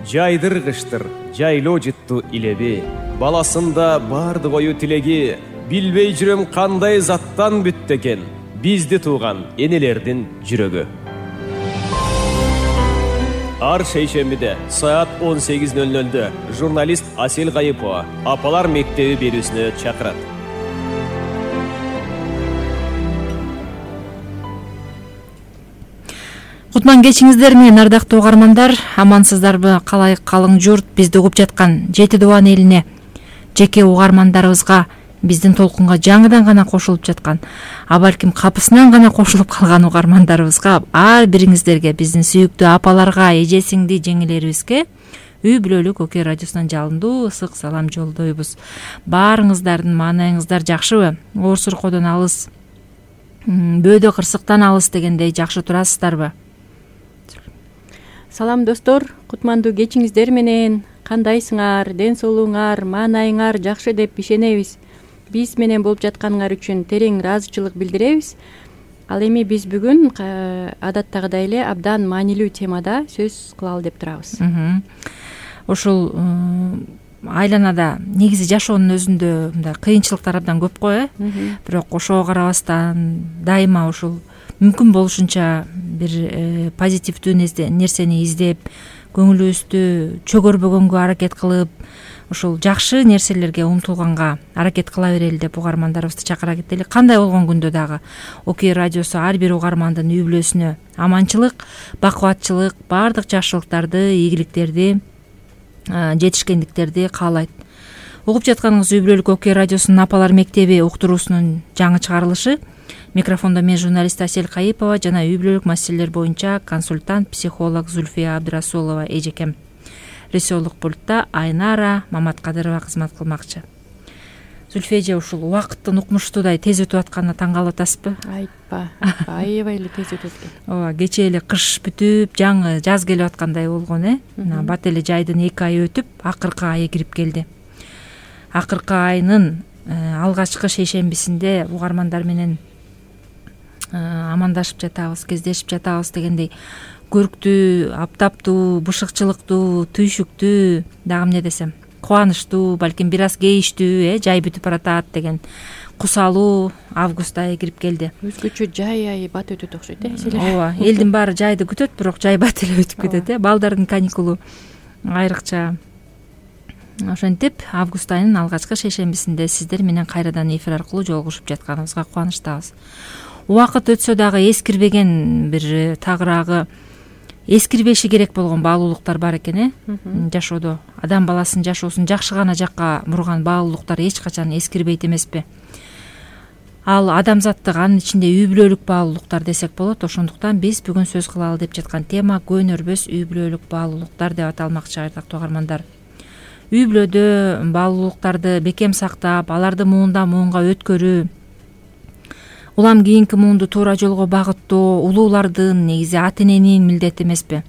жайдыргычтыр жайлоо жыттуу илеби. Баласында бардык ою тилеги, билбей жүрөм кандай заттан бүттү экен бизди тууган энелердин жүрөгү. Ар шейшембиде саат 18:00 журналист Асел Кайыпова апалар мектеби берүүсүнө чакырат. Кутман кечиңиздер менен ардактуу угармандар, амансыздарбы? Калай калың журт бизди угуп жаткан Жети Дубан элине, жеке угармандарыбызга, биздин толкунга жаңыдан гана кошулуп жаткан, а балким капысынан гана кошулуп калган угармандарыбызга, ар бириңиздерге, биздин сүйүктүү апаларга, эже сиңди жеңелерибизге Үй бүлөлүк Окей радиосунан жалындуу ысык салам жолдойбуз. Баарыңыздардын маанайыңыздар жакшыбы? Оорсуркодон алыс, бөөдө кырсыктан алыс дегендей жакшы турасыздарбы? Салам достор, кутмандуу кечиңиздер менен кандайсыңар, ден соолугуңар, маанайыңар жакшы деп ишенебиз. Биз менен болуп жатканыңар үчүн терең ыраазычылык билдиребиз. Ал эми биз бүгүн адаттагыдай эле абдан маанилүү темада сөз кылалы деп турабыз. Ушул айланада негизи жашоонун өзүндө мындай кыйынчылыктар абдан көп го, бирок ошого карабастан дайыма ушул мүмкүн болушунча бир позитивдүү нерсени издеп, көңүлүбүздү чөгөрбөгөнгө аракет кылып, ушул жакшы нерселерге умтулганга аракет кыла берели деп угармандарыбызды чакыра кетели. Кандай болгон күндө дагы Окей радиосу ар бир угармандын үй бүлөсүнө аманчылык, бакубатчылык, баардык жакшылыктарды, ийгиликтерди, жетишкендиктерди каалайт. Угуп жатканыңыз Үй бүлөлүк Окей радиосунун апалар мектеби уктуруусунун жаңы чыгарылышы. Микрофондо мен журналист Асел Кайыпова жана үй бүлөлүк маселелер боюнча консультант, психолог Зульфия Абдырасулова эжекем. Режиссерлук пультта Айнара Маматкадырова кызмат кылмакчы. Зульфия эже, ушул убакыттын укмуштуудай тез өтүп атканына таң калып атасызбы? Айтпа, аябай эле тез өтүп экен. Ооба, кечээ эле кыш бүтүп, жаңы жаз келип аткандай болгон, Бат эле жайдын 2 айы өтүп, акыркы айы кирип келди. Акыркы айынын алгачкы шейшембисинде угармандар менен амандашып жатабыз, кездешип жатабыз дегендей көрктүү, аптаптуу, бышыкчылыктуу, түйшүктүү, дагы эмне десем, кубанычтуу, балким бир аз кейиштүү, жай бүтүп баратат деген кусалуу август айы кирип келди. Өзгөчө жай айы бат өтөт окшойт, Ооба, элдин баары жайды күтөт, бирок жай бат эле өтүп кетет, Балдардын каникулу айрыкча. Ошентип, август айынын алгачкы шейшембисинде сиздер менен кайрадан эфир аркылуу жолугушуп жатканыбызга кубанычтабыз. Убакыт өтсө дагы эскирбеген бир тагыраагы эскирбеши керек болгон баалуулуктар бар экен, жашоодо. Адам баласынын жашоосун жакшы гана жакка бурган баалуулуктар эч качан эскирбейт эмеспи? Ал адамзаттык, анын ичинде үй бүлөлүк баалуулуктар десек болот. Ошондуктан биз бүгүн сөз кылалы деп жаткан тема көөнөрбөс үй бүлөлүк баалуулуктар деп аталмакчы, ардактуу угармандар. Үй бүлөдө баалуулуктарды бекем сактап, аларды муундан муунга өткөрүү, улам кийинки муунду туура жолго багыттоо улуулардын, негизи ата эненин милдети эмеспи?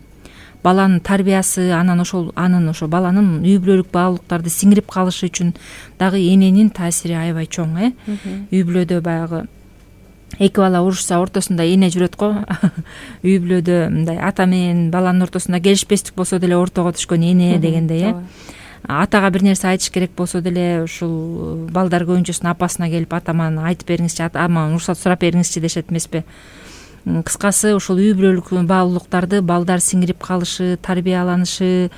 Баланын тарбиясы, анан ошо баланын үй бүлөлүк баалуулуктарды сиңирип калышы үчүн дагы эненин таасири аябай чоң, Үй бүлөдө баягы эки бала урушса ортосунда эне жүрөт го. Үй бүлөдө мындай ата менен баланын ортосунда келишпестик болсо деле ортого түшкөн эне дегендей, Атага бир нерсе айтыш керек болсо деле ушул балдар көбүнчөсүн апасына келип, атаман айтып бериңизчи, атаман уруксат сурап бериңизчи дешет эмеспи? Кыскасы, ушул үй бүлөлүк баалуулуктарды балдар сиңирип калышы, тарбияланышы,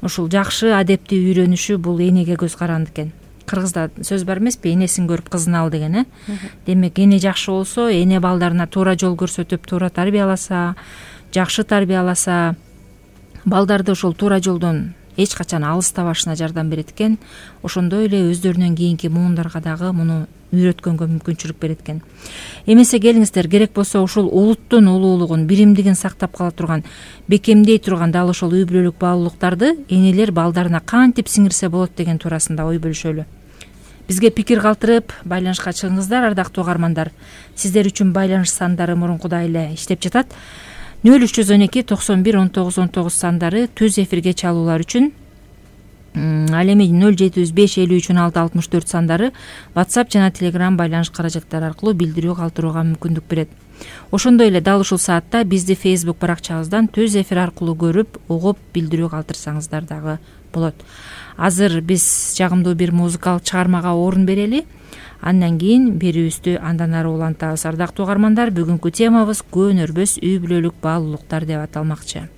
ушул жакшы адепти үйрөнүшү бул энеге көз каранды экен. Кыргызда сөз бар эмеспи, энесин көрүп кызын ал деген, Демек, эне жакшы болсо, эне балдарына туура жол көрсөтүп, туура тарбияласа, жакшы тарбияласа, балдарды ошол туура жолдон эч качан алыстабашына жардам берет экен. Ошондой эле өздөрүнөн кийинки муундарга дагы муну үйрөткөнгө мүмкүнчүлүк берет экен. Эмесе келиңиздер, керек болсо ушул улуттун улуулугун, биримдигин сактап кала турган, бекемдей турган дал ошол үй бүлөлүк баалуулуктарды энелер балдарына кантип сиңирсе болот деген туурасында ой бөлүшөлү. Бизге пикир калтырып, байланышка чыгыңыздар, ардактуу угармандар. Сиздер үчүн байланыш сандары мурункудай эле иштеп жатат. 0312 91 19 19 сандары түз эфирге чалуулар үчүн, ал эми 0705 53 16 64 сандары WhatsApp жана Telegram байланыш каражаттары аркылуу билдирүү калтырууга мүмкүндүк берет. Ошондой эле дал ушул саатта бизди Facebook баракчабыздан түз эфир аркылуу көрүп, угуп, билдирүү калтырсаңыздар дагы болот. Азыр биз жагымдуу бир музыкалык чыгармага орун берели. Андан кийин берүүбүздү андан ары улантабыз. Ардактуу угармандар, бүгүнкү темабыз көнөрбөс үй бүлөлүк баалуулуктар деп аталмакчы.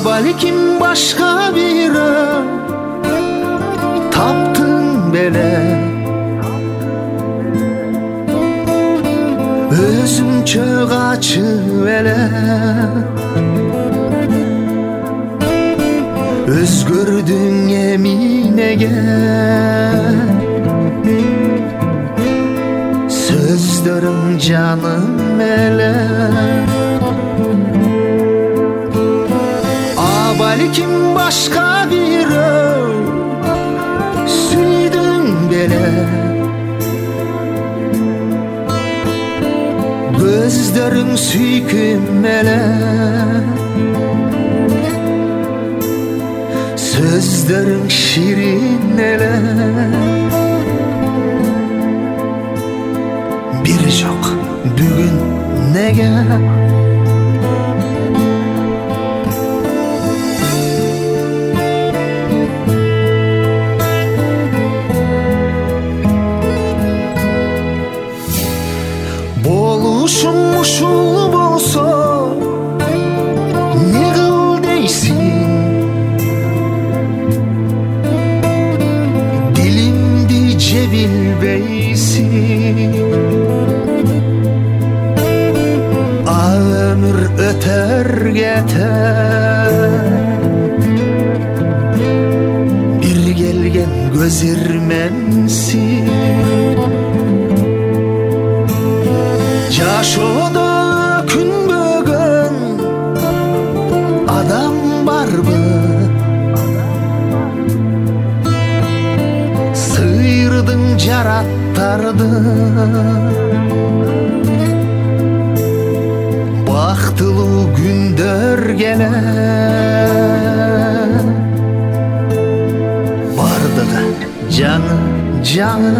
Балким башка бирөө таптың беле, өзүңчө качып эле өзгөрдүң эминеге, сөздөрүң жаным эле. Балким башка бирөө сүйдүң беле, көздөрүң сүйкүм эле, сөздөрүң ширин эле. Бир жок бүгүн неге? Болушум ушул болсо не кыл дейсиң, дилимди же билбейсиң. Өмүр өтөр кетер, бир келген көз ирменсиң. Жашоодо күнбөгөн адам барбы, сыйырдың жараттарды, бактылуу күндөр келер, бардыгы жаңы жаңы.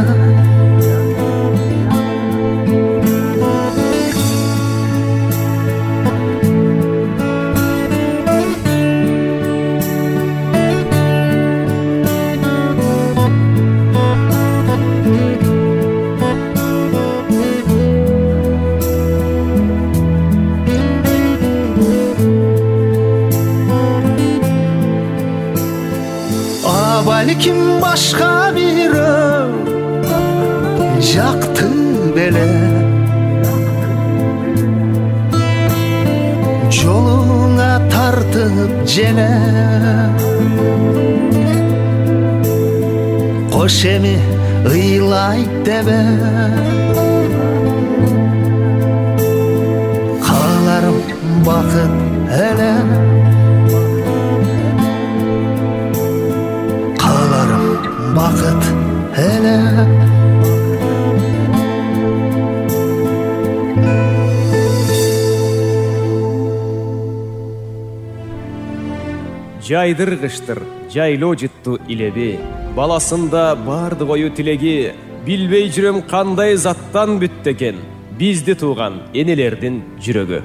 Балким башка бирөө жакты беле, жолуңа тартып желе. Кош эми ыйлайт дебе, кааларым бакыт эле. Бакыт эле. Жайдыр-кыштыр, жайлоо жытту илеби, баласында бардык ою тилеги, билбей жүрөм кандай заттан бүттү экен бизди тууган энелердин жүрөгү.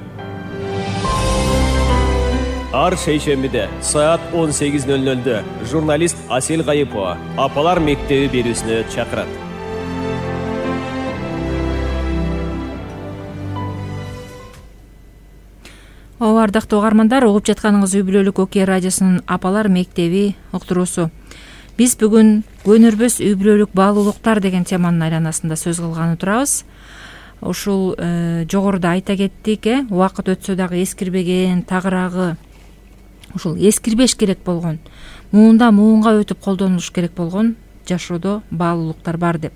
Ар шейшембиде саат 18:00 журналист Асел Кайыпова апалар мектеби берүүсүнө чакырат. Ардактуу угармандар, угуп жатканыңыз үй бүлөлүк окуя радиосунун апалар мектеби уктуруусу. Биз бүгүн көнөрбөс үй бүлөлүк баалуулуктар деген теманын айланасында сөз кылганы турабыз. Ушул жогоруда айта кеттик, убакыт өтсө дагы эскирбеген, тагыраагы ушул эскирбеш керек болгон, муунда муунга өтүп колдонулуш керек болгон жашоодо баалуулуктар бар деп.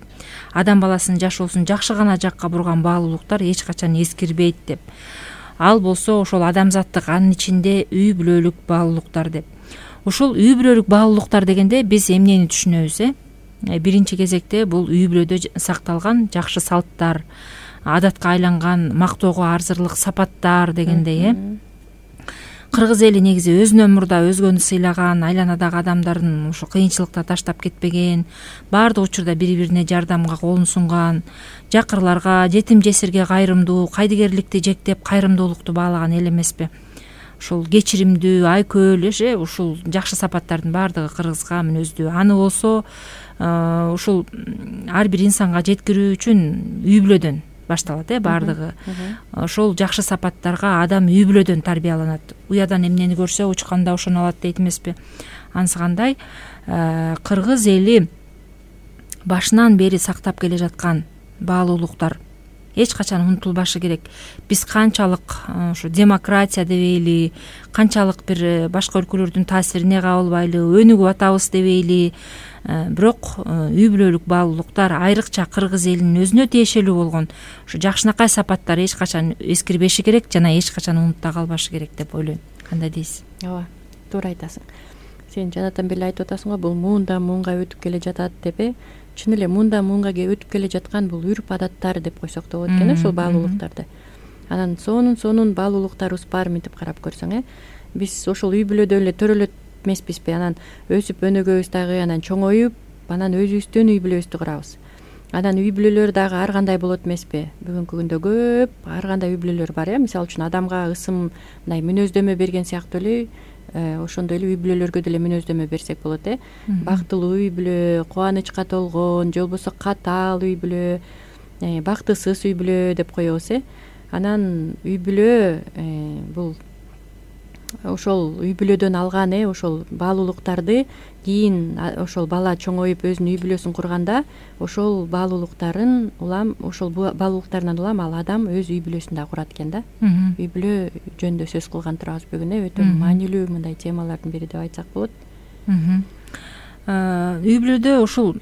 Адам баласынын жашоосун жакшы гана жакка бурган баалуулуктар эч качан эскирбейт деп. Ал болсо ошол адамзаттык, анын ичинде үй бүлөлүк баалуулуктар деп. Ушул үй бүлөлүк баалуулуктар дегенде биз эмнени түшүнөбүз? Биринчи кезекте бул үй бүлөдө сакталган жакшы салттар, адатка айланган мактоого арзырлык сапаттар дегендей кыргыз эли негизи өзүнөн мурда өзгөнү сыйлаган, айланадагы адамдарын ушу кыйынчылыкта таштап кетпеген, баардык учурда бири бирине жардамга колун сунган, жакырларга, жетим жесирге кайрымдуу, кайдыгерликти жектеп кайрымдуулукту баалаган эл эмеспи. Ушул кечиримдүү, айкөл, ушул жакшы сапаттардын баардыгы кыргызга мүнөздүү. Аны болсо ушул ар бир инсанга жеткирүү үчүн үй бүлөдөн башталат, баардыгы. Ошол жакшы сапаттарга адам үй бүлөдөн тарбияланат. Уядан эмнени көрсө учканда ошону алат дейт эмеспи. Анысы кандай? Кыргыз эли башынан бери сактап келе жаткан баалуулуктар эч качан унутулбашы керек. Биз канчалык ушу демократия дебейли, канчалык бир башка өлкөлөрдүн таасирине кабылбайлы өнүгүп атабыз дебейли, бирок үй бүлөлүк баалуулуктар айрыкча кыргыз элинин өзүнө тиешелүү болгон ушу жакшынакай сапаттар эч качан эскирбеши керек жана эч качан унутта калбашы керек деп ойлойм. Кандай дейсиз? Ооба, туура айтасың. Сен жанатан бери айтып атасың го, бул муундан муунга өтүп келе жатат деп, чын эле муундан муунга өтүп келе жаткан бул үрп адаттар деп койсок да болот экен, ошол баалуулуктарды. Анан сонун баалуулуктарыбыз бар мынтип карап көрсөң, биз ошол үй бүлөдө эле төрөлөт эмеспизби? Анан өсүп өнүгөбүз дагы, анан чоңоюп, анан өзүбүздүн үй бүлөбүздү курабыз. Анан үй бүлөлөр дагы ар кандай болот эмеспи? Бүгүнкү күндө көп ар кандай үй бүлөлөр бар, мисалы үчүн адамга ысым мындай мүнөздөмө берген сыяктуу эле ошондой эле үй бүлөлөргө деле мүнөздөмө берсек болот. Бактылуу үй бүлө, кубанычка толгон, же болбосо катаал үй бүлө, бактысыз үй бүлө деп коебуз. Анан үй бүлө бул ошол үй бүлөдөн алган ошол баалуулуктарды кийин ошол бала чоңоюп өзүнүн үй бүлөсүн курганда ошол баалуулуктарын улам ошол баалуулуктарынан улам ал адам өз үй бүлөсүн да курат экен да. Үй бүлө жөнүндө сөз кылган турабыз бүгүн, өтө маанилүү мындай темалардын бири деп айтсак болот. Үй бүлөдө ушул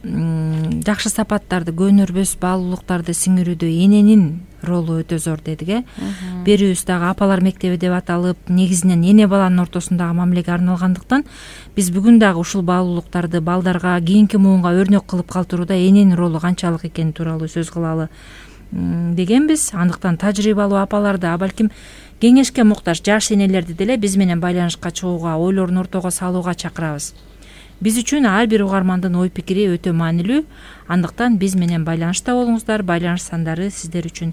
жакшы сапаттарды, көнөрбөс баалуулуктарды сиңирүүдө эненин ролу өтө зор дедик. Берүүбүз дагы апалар мектеби деп аталып, негизинен эне баланын ортосундагы мамилеге арналгандыктан биз бүгүн дагы ушул баалуулуктарды балдарга, кийинки муунга өрнөк кылып калтырууда эненин ролу канчалык экени тууралуу сөз кылалы дегенбиз. Андыктан тажрыйбалуу апаларды, балким кеңешке муктаж жаш энелерди деле биз менен байланышка чыгууга, ойлорун ортого салууга чакырабыз. Биз үчүн ар бир угармандын ой пикири өтө маанилүү. Андыктан биз менен байланышта болуңуздар. Байланыш сандары сиздер үчүн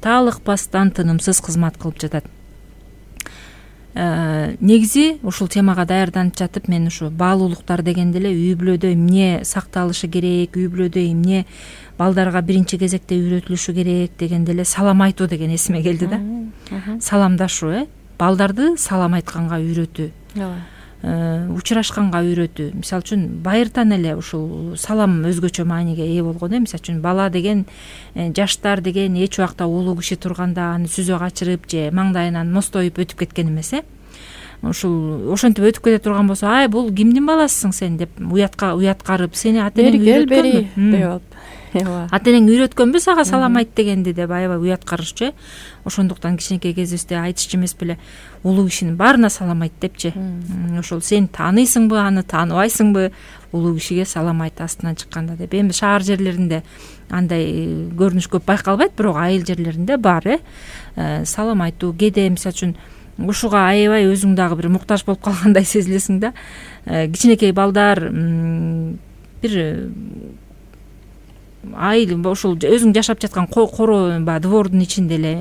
таалыкпастан тынымсыз кызмат кылып жатат. Негизи ушул темага даярданып жатып мен ушу баалуулуктар дегенде эле үй бүлөдө эмне сакталышы керек, үй бүлөдө эмне балдарга биринчи кезекте үйрөтүлүшү керек дегенде эле салам айтуу деген эсиме келди да. Саламдашуу, балдарды салам айтканга үйрөтүү. Учурашканга үйрөтүү. Мисалы үчүн байыртан эле ушул салам өзгөчө мааниге ээ болгон. Мисалы үчүн бала деген, жаштар деген эч убакта улуу киши турганда аны сүзө качырып же маңдайынан мостоюп өтүп кеткен эмес. Ушул ошентип өтүп кете турган болсо, ай бул кимдин баласысың сен деп уяткарып, сени ата-энең үйрөткөнбү? Ата-энең үйрөткөнбү сага салам айт дегенди деп аябай уяткарышчу. Ошондуктан кичинекей кезибизде айтышчу эмеспи эле, улуу кишинин баарына салам айт депчи. Ошол сен тааныйсыңбы, аны тааныбайсыңбы, улуу кишиге салам айт астынан чыкканда деп. Эми шаар жерлеринде андай көрүнүш көп байкалбайт, бирок айыл жерлеринде бар. Салам айтуу, кээде мисалы үчүн ушуга аябай өзүң дагы бир муктаж болуп калгандай сезилесиң да. Кичинекей балдар бир айыл ошол өзүң жашап жаткан коро двордун ичинде эле,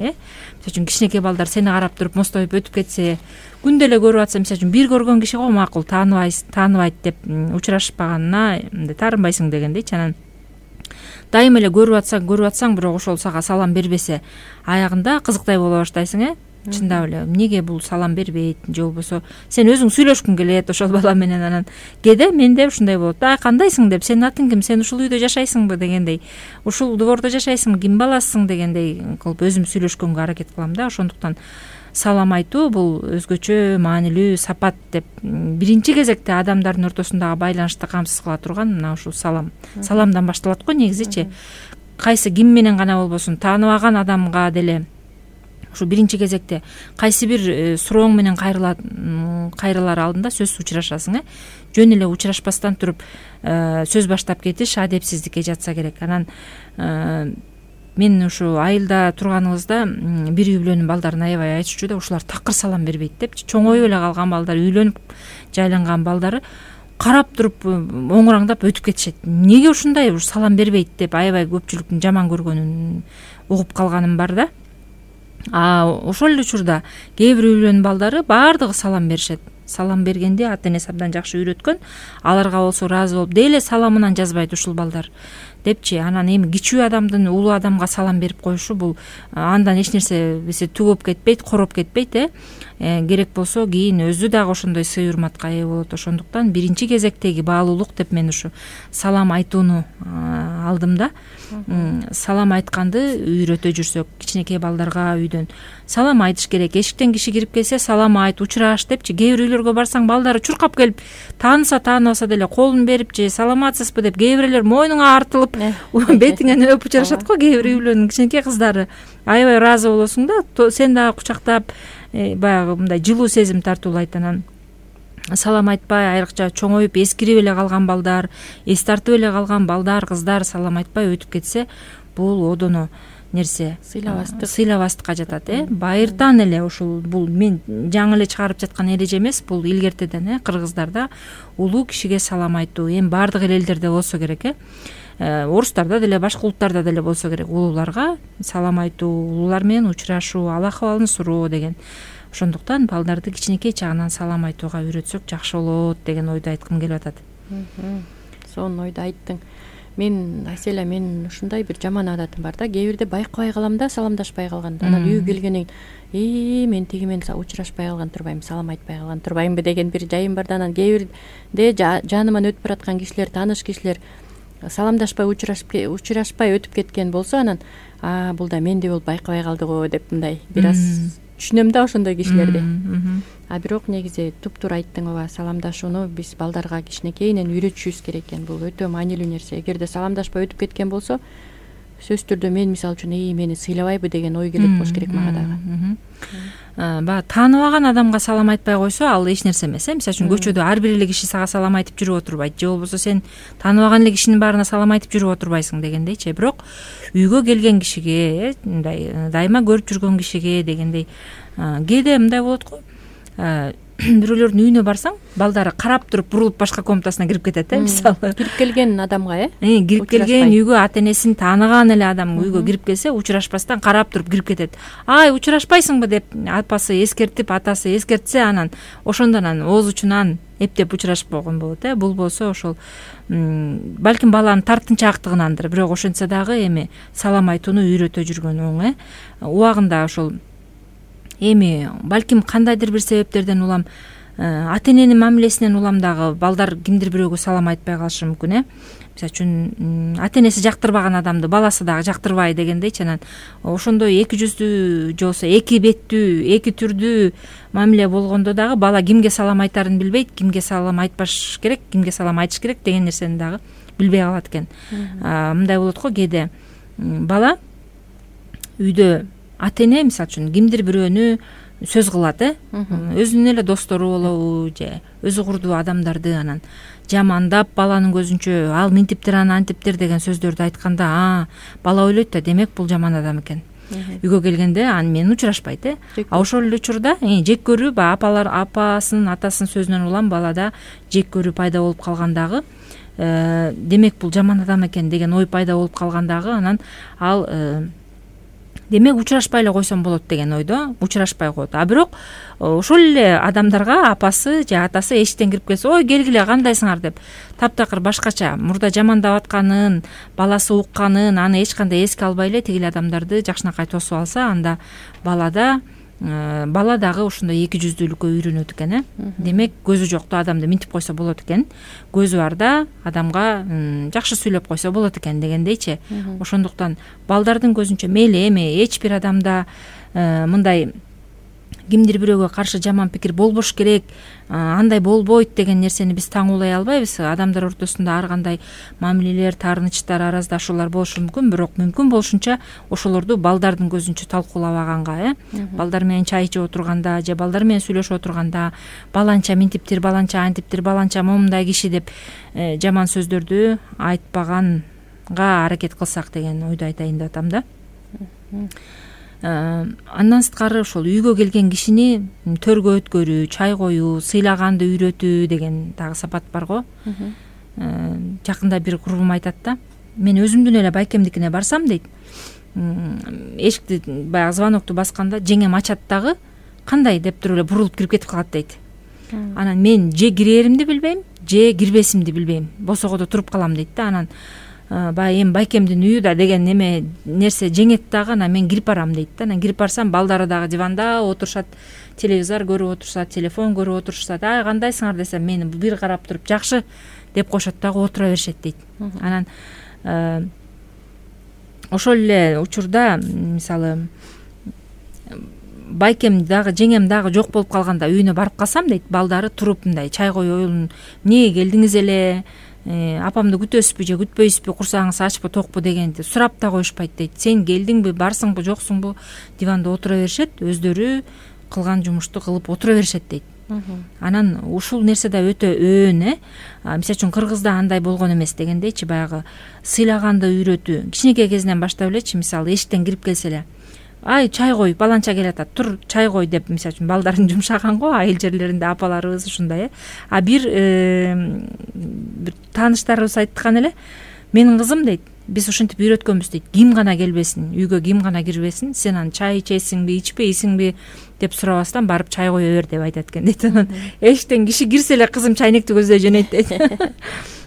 мисалы үчүн кичинекей балдар сени карап туруп мостоюп өтүп кетсе, күндө эле көрүп атса, мисалы үчүн бир көргөн киши го макул тааныбайт деп учурашпаганына таарынбайсың дегендейчи. Анан дайыма эле көрүп атсаң, бирок ошол сага салам бербесе, аягында кызыктай боло баштайсың. Чындап эле эмнеге бул салам бербейт, же болбосо сен өзүң сүйлөшкүң келет ошол бала менен. Анан кээде менде ушундай болот. Кандайсың деп, сенин атың ким, сен ушул үйдө жашайсыңбы дегендей, ушул двордо жашайсыңбы, ким баласысың дегендей кылып өзүм сүйлөшкөнгө аракет кылам да. Ошондуктан салам айтуу бул өзгөчө маанилүү сапат деп биринчи кезекте адамдардын ортосундагы байланышты камсыз кыла турган мына ушул саламдан башталат го негизичи. Кайсы ким менен гана болбосун, тааныбаган адамга деле ушу биринчи кезекте кайсы бир сурооң менен кайрылар алдында сөзсүз учурашасың. Жөн эле учурашпастан туруп сөз баштап кетиш адепсиздикке жатса керек. Анан мен ушу айылда турганыбызда бир үй бүлөнүн балдарын аябай айтышчу да, ушулар такыр салам бербейт депчи. Чоңоюп эле калган балдар, уйлөнүп жайланган балдары карап туруп оңураңдап өтүп кетишет. Неге ушундай салам бербейт деп аябай көпчүлүктүн жаман көргөнүн угуп калганым бар да. Ошол эле учурда кээ бир үй бүлөнүн балдары баардыгы салам беришет. Салам бергенде ата энеси абдан жакшы үйрөткөн, аларга болсо ыраазы болуп, деле саламынан жазбайт ушул балдар депчи. Анан эми кичүү адамдын улуу адамга салам берип коюшу, бул андан эч нерсе түгөп кетпейт, короп кетпейт. Керек болсо кийин өзү дагы ошондой сый урматка ээ болот. Ошондуктан биринчи кезектеги баалуулук деп мен ушу салам айтууну алдым да. Салам айтканды үйрөтө жүрсөк, кичинекей балдарга үйдөн салам айтыш керек. Эшиктен киши кирип келсе салам айт, учураш депчи. Кээ бир үйлөргө барсаң, балдары чуркап келип, тааныса тааныбаса деле колун берип же саламатсызбы деп, кээ бирлер мойнуңа артылып бетиңен өп учурашат го. Кээ бир үй бүлөнүн кичинекей кыздары аябай ыраазы болосуң да, сен дагы кучактап баягы мындай жылуу сезим тартуулайт. Анан салам айтпай, айрыкча чоңоюп эскирип эле калган балдар, эс тартып эле калган балдар, кыздар салам айтпай өтүп кетсе, бул одоно нерсе, сыйлабастыкка жатат. Байыртан эле ушул, бул мен жаңы эле чыгарып жаткан эреже эмес, бул илгертеден кыргыздарда улуу кишиге салам айтуу эми баардык элдерде болсо керек. Орустарда деле, башка улуттарда деле болсо керек. Улууларга салам айтуу, улуулар менен учурашуу, ал акыбалын суроо деген. Ошондуктан балдарды кичинекей чагынан салам айтууга үйрөтсөк жакшы болот деген ойду айткым келип атат. Сонун ойду айттың. Мен Айселя, мен ушундай бир жаман адатым бар да. Кээ бирде байкабай калам да, саламдашпай калган. Анан үйгө келгенден кийин мен тиги менен учурашпай калган турбайм, салам айтпай калган турбаймбы деген бир жайым бар да. Анан кээ бирде жаныман өтүп бараткан кишилер, тааныш кишилер саламдашпай, учурашпай өтүп кеткен болсо, анан бул да менде болуп байкабай калды го деп мындай бир аз түшүнөм да ошондой кишилерди. Бирок негизи туптуура айттың, ооба, саламдашууну биз балдарга кичинекейинен үйрөтүшүбүз керек экен. Бул өтө маанилүү нерсе. Эгерде саламдашпай өтүп кеткен болсо, сөзсүз түрдө мен мисалы үчүн мени сыйлабайбы деген ой келет болуш керек мага дагы. Баягы тааныбаган адамга салам айтпай койсо, ал эч нерсе эмес. Мисалы үчүн көчөдө ар бир эле киши сага салам айтып жүрүп отурбайт, же болбосо сен тааныбаган эле кишинин баарына салам айтып жүрүп отурбайсың дегендейчи. Бирок үйгө келген кишиге, мындай дайыма көрүп жүргөн кишиге дегендей, кээде мындай болот го. Бирөөлөрдүн үйүнө барсаң, балдары карап туруп бурулуп башка комнатасына кирип кетет. Мисалы кирип келген адамга, кирип келген үйгө ата энесин тааныган эле адам үйгө кирип келсе, учурашпастан карап туруп кирип кетет. Ай, учурашпайсыңбы деп апасы эскертип, атасы эскертсе, анан ошондон ооз учунан эптеп учурашып койгон болот. Бул болсо ошол балким баланын тартынчаактыгынандыр. Бирок ошентсе дагы эми салам айтууну үйрөтө жүргөн оң. Убагында ошол эми балким кандайдыр бир себептерден улам ата эненин мамилесинен улам дагы балдар кимдир бирөөгө салам айтпай калышы мүмкүн. Мисалы үчүн ата энеси жактырбаган адамды баласы дагы жактырбай дегендейчи. Анан ошондой эки жүздүү же болбосо эки беттүү, эки түрдүү мамиле болгондо дагы бала кимге салам айтарын билбейт, кимге салам айтпаш керек, кимге салам айтыш керек деген нерсени дагы билбей калат экен. Мындай болот го, кээде бала үйдө ата эне мисалы үчүн кимдир бирөөнү сөз кылат, өзүнүн эле достору болобу же өзү курдуу адамдарды анан жамандап, баланын көзүнчө ал минтиптир, аны антиптир деген сөздөрдү айтканда, бала ойлойт да, демек бул жаман адам экен. Үйгө келгенде аны менен учурашпайт. Ошол эле учурда жек көрүү, апасынын, атасынын сөзүнөн улам балада жек көрүү пайда болуп калгандагы, демек бул жаман адам экен деген ой пайда болуп калгандагы, анан ал демек учурашпай эле койсом болот деген ойдо учурашпай коет. Бирок ошол эле адамдарга апасы же атасы эшиктен кирип келсе, ой келгиле, кандайсыңар деп таптакыр башкача мурда жамандап атканын, баласы укканын, аны эч кандай эске албай эле тигил адамдарды жакшынакай тосуп алса, анда бала дагы ошондой эки жүздүүлүккө үйрөнөт экен. Демек көзү жокту адамды минтип койсо болот экен, көзү барда адамга жакшы сүйлөп койсо болот экен дегендейчи. Ошондуктан балдардын көзүнчө мейли эми эч бир адамда мындай кимдир бирөөгө каршы жаман пикир болбош керек, андай болбойт деген нерсени биз таңуулай албайбыз. Адамдар ортосунда ар кандай мамилелер, таарынычтар, араздашуулар болушу мүмкүн, бирок мүмкүн болушунча ошолорду балдардын көзүнчө талкуулабаганга, балдар менен чай ичип отурганда же балдар менен сүйлөшүп отурганда баланча минтиптир, баланча антиптир, баланча момундай киши деп жаман сөздөрдү айтпаганга аракет кылсак деген ойду айтайын деп атам да. Андан сырткары ошол үйгө келген кишини төргө өткөрүү, чай коюу, сыйлаганды үйрөтүү деген дагы сапат бар го. Жакында бир курбум айтат да, мен өзүмдүн эле байкемдикине барсам дейт, эшикти баягы звонокту басканда жеңем ачат дагы кандай деп туруп эле бурулуп кирип кетип калат дейт. Анан мен же киреримди билбейм, же кирбесимди билбейм, босогодо туруп калам дейт да. Анан баягы эми байкемдин үйү да деген нерсе жеңет дагы, анан мен кирип барам дейт да. Анан кирип барсам балдары дагы диванда отурушат, телевизор көрүп отурушат, телефон көрүп отурушат. Ай кандайсыңар десем, мени бир карап туруп жакшы деп коюшат дагы, отура беришет дейт. Анан ошол эле учурда мисалы байкем дагы жеңем дагы жок болуп калганда үйүнө барып калсам дейт, балдары туруп мындай чай коюп оюлун, эмнеге келдиңиз эле, апамды күтөсүзбү же күтпөйсүзбү, курсагыңыз ачпы токпу дегенди сурап да коюшпайт дейт. Сен келдиңби, барсыңбы, жоксуңбу, диванда отура беришет, өздөрү кылган жумушту кылып отура беришет дейт. Анан ушул нерсе да өтө өөн. Мисалы үчүн кыргызда андай болгон эмес дегендейчи, баягы сыйлаганды үйрөтүү кичинекей кезинен баштап элечи. Мисалы эшиктен кирип келсе эле, ай чай кой, баланча келатат, тур чай кой деп, мисалы үчүн балдарын жумшаган го айыл жерлеринде апаларыбыз ушундай. Бир тааныштарыбыз айткан эле, менин кызым дейт, биз ушинтип үйрөткөнбүз дейт, ким гана келбесин, үйгө ким гана кирбесин, сен анан чай ичесиңби, ичпейсиңби деп сурабастан барып чай кое бер деп айтат экен дейт. Анан эшиктен киши кирсе эле кызым чайнекти көздөй жөнөйт дейт.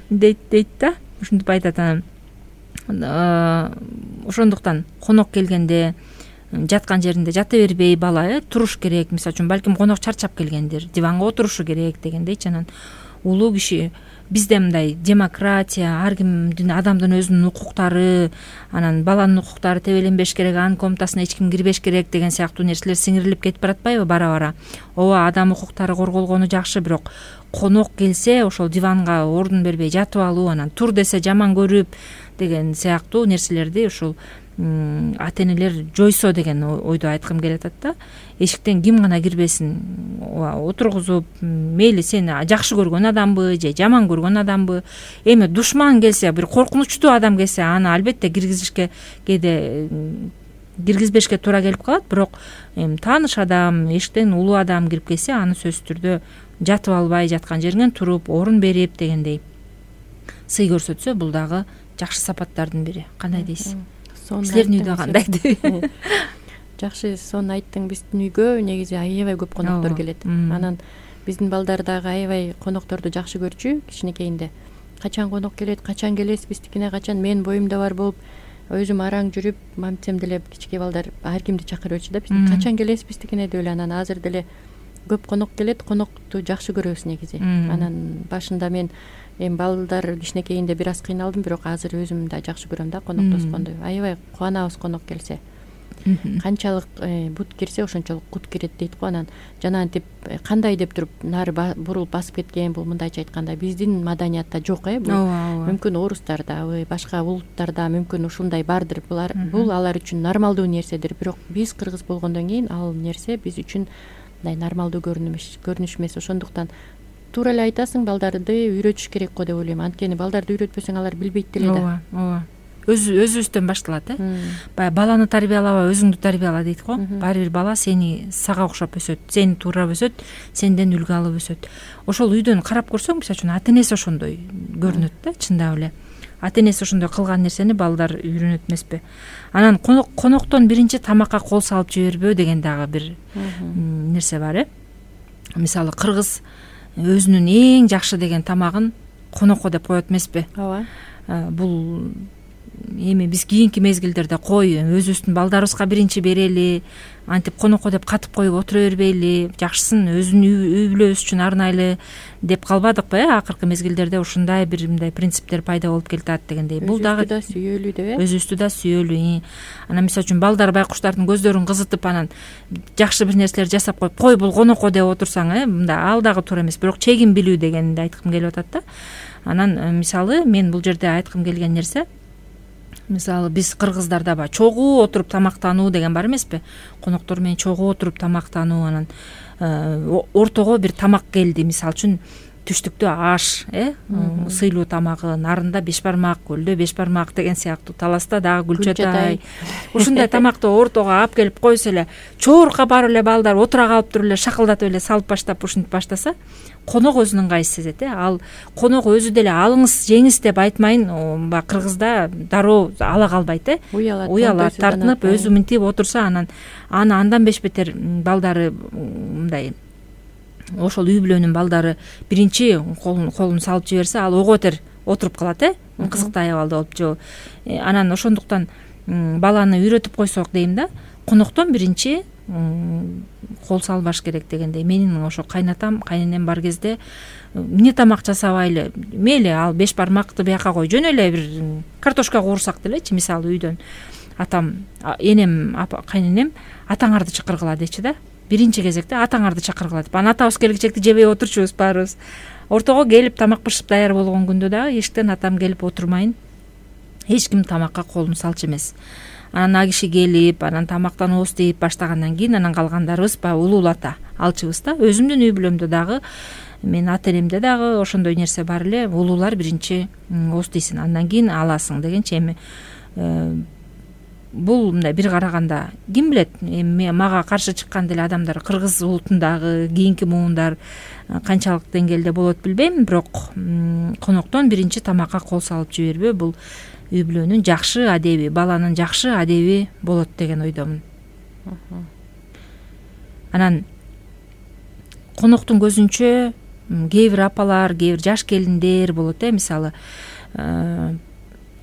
дейт да, ушинтип айтат. Анан ошондуктан конок келгенде жаткан жеринде жата бербей бала туруш керек. Мисалы үчүн балким конок чарчап келгендир, диванга отурушу керек дегендейчи. Анан улуу киши, бизде мындай демократия, ар кимдин, адамдын өзүнүн укуктары, анан баланын укуктары тебеленбеш керек, анын комнатасына эч ким кирбеш керек деген сыяктуу нерселер сиңирилип кетип баратпайбы бара-бара. Ооба, адам укуктары корголгону жакшы, бирок конок келсе ошол диванга ордун бербей жатып алуу, анан тур десе жаман көрүп деген сыяктуу нерселерди ушул ата-энелер жойсо деген ойду айткым келип атат да. Эшиктен ким гана кирбесин, отургузуп, мейли сени жакшы көргөн адамбы же жаман көргөн адамбы, эми душман келсе, бир коркунучтуу адам келсе, аны албетте киргизишке, кээде киргизбешке туура келип калат. Бирок эми тааныш адам, эшиктен улуу адам кирип келсе, аны сөзсүз түрдө жатып албай, жаткан жериңен туруп, орун берип дегендей сый көрсөтсө, бул дагы жакшы сапаттардын бири. Кандай дейсиз? Силердин үйдө кандай? Жакшы сонун айттың. Биздин үйгө негизи аябай көп коноктор келет. Анан биздин балдар дагы аябай конокторду жакшы көрчү кичинекейинде. Качан конок келет, качан келесиз биздикине, качан, мен боюмда бар болуп, өзүм араң жүрүп, мамтем деле кичинекей балдар ар кимди чакырып өтчү да, биз качан келесиз биздикине деп эле. Анан азыр деле көп конок келет, конокту жакшы көрөбүз негизи. Анан башында мен эми балдар кичинекейинде бир аз кыйналдым, бирок азыр өзүм да жакшы көрөм да коноктошконду. Аябай кубанабыз конок келсе. Канчалык бут кирсе ошончолук кут кирет дейт го. Анан жанагынтип кандай деп туруп нары бурулуп басып кеткен, бул мындайча айтканда биздин маданиятта жок. Бул мүмкүн орустарда, башка улуттарда мүмкүн ушундай бардыр. Бул алар үчүн нормалдуу нерседир. Бирок биз кыргыз болгондон кийин ал нерсе биз үчүн мындай нормалдуу көрүнүш эмес. Ошондуктан туура эле айтасың, балдарды үйрөтүш керек го деп ойлойм. Анткени балдарды үйрөтпөсөң алар билбейт деле да. Ооба. Өзүбүздөн башталат. Баягы баланы тарбиялаба, өзүңдү тарбияла дейт го. Баары бир бала сага окшоп өсөт, сени туурап өсөт, сенден үлгү алып өсөт. Ошол үйдөн карап көрсөң, мисалы үчүн ата-энеси ошондой көрүнөт да, чындап эле. Ата-энеси ошондой кылган нерсени балдар үйрөнөт эмеспи? Анан коноктон биринчи тамакка кол салып жибербөө деген дагы бир нерсе бар. Мисалы кыргыз өзүнүн эң жакшы деген тамагын конокко деп коет эмеспи? Ооба. Бул эми биз кийинки мезгилдерде өзүбүздүн балдарыбызга биринчи берели, антип конокко деп катып коюп отура бербейли, жакшысын өзүнүн үй бүлөбүз үчүн арнайлы деп калбадыкпы? Акыркы мезгилдерде ушундай бир мындай принциптер пайда болуп келатат дегендей. Бул дагы да сүйөлүү деп, өзүбүздү да сүйөлүү. Анан мисалы үчүн балдар байкуштардын көздөрүн кызытып, анан жакшы бир нерселер жасап коюп, кой бул конокко деп отурсаң, мындай ал дагы туура эмес. Бирок чегин билүү дегенди айткым келип атат да. Анан мисалы мен бул жерде айткым келген нерсе, мисалы биз кыргыздарда баягы чогуу отуруп тамактануу деген бар эмеспи? Коноктор менен чогуу отуруп тамактануу, анан ортого бир тамак келди. Мисалы үчүн түштүктө аш сыйлуу тамагы, нарында беш бармак, көлдө беш бармак деген сыяктуу, таласта дагы күлчөтай ушундай тамакты ортого алып келип койсо эле, чоорукка барып эле балдар отура калып туруп эле шакылдатып эле салып баштап ушинтип баштаса, конок өзүнүн ыңгайын сезет. Ал конок өзү деле алыңыз жеңиз деп айтмайын, баягы кыргызда дароо ала калбайт. Уялат, тартынып өзү мынтип отурса, аны андан беш бетер балдары мындай ошол үй бүлөнүн балдары биринчи колун салып жиберсе, ал ого бетер отуруп калат, кызыктай абалда болуп же. Анан ошондуктан баланы үйрөтүп койсок дейм да, коноктон биринчи кол салбаш керек дегендей. Менин ошо кайнатам, кайненем бар кезде эмне тамак жасабайлы, мейли ал беш бармакты бияка кой, жөн эле бир картошка куурсак делечи, мисалы үйдөн атам, энем, кайненем атаңарды чакыргыла дечи да. Биринчи кезекте атаңарды чакыргыла деп. Анан атабыз келгичекти жебей отурчубуз баарыбыз. Ортого келип тамак бышып даяр болгон күндө дагы эшиктен атам келип отурмайын, эч ким тамакка колун салчу эмес. Анан а киши келип, анан тамактан ооз тийип баштагандан кийин анан калгандарыбыз баягы улуулата алчубуз да. Өзүмдүн үй бүлөмдө дагы, мен ата энемде дагы ошондой нерсе бар эле. Улуулар биринчи ооз тийсин, андан кийин аласың дегенчи. Эми бул мындай бир караганда ким билет, мага каршы чыккан деле адамдар кыргыз улутундагы кийинки муундар канчалык деңгээлде болот билбейм, бирок коноктон биринчи тамакка кол салып жибербөө бул үй бүлөнүн жакшы адеби, баланын жакшы адеби болот деген ойдомун. Анан коноктун көзүнчө кээ бир апалар, кээ бир жаш келиндер болот, мисалы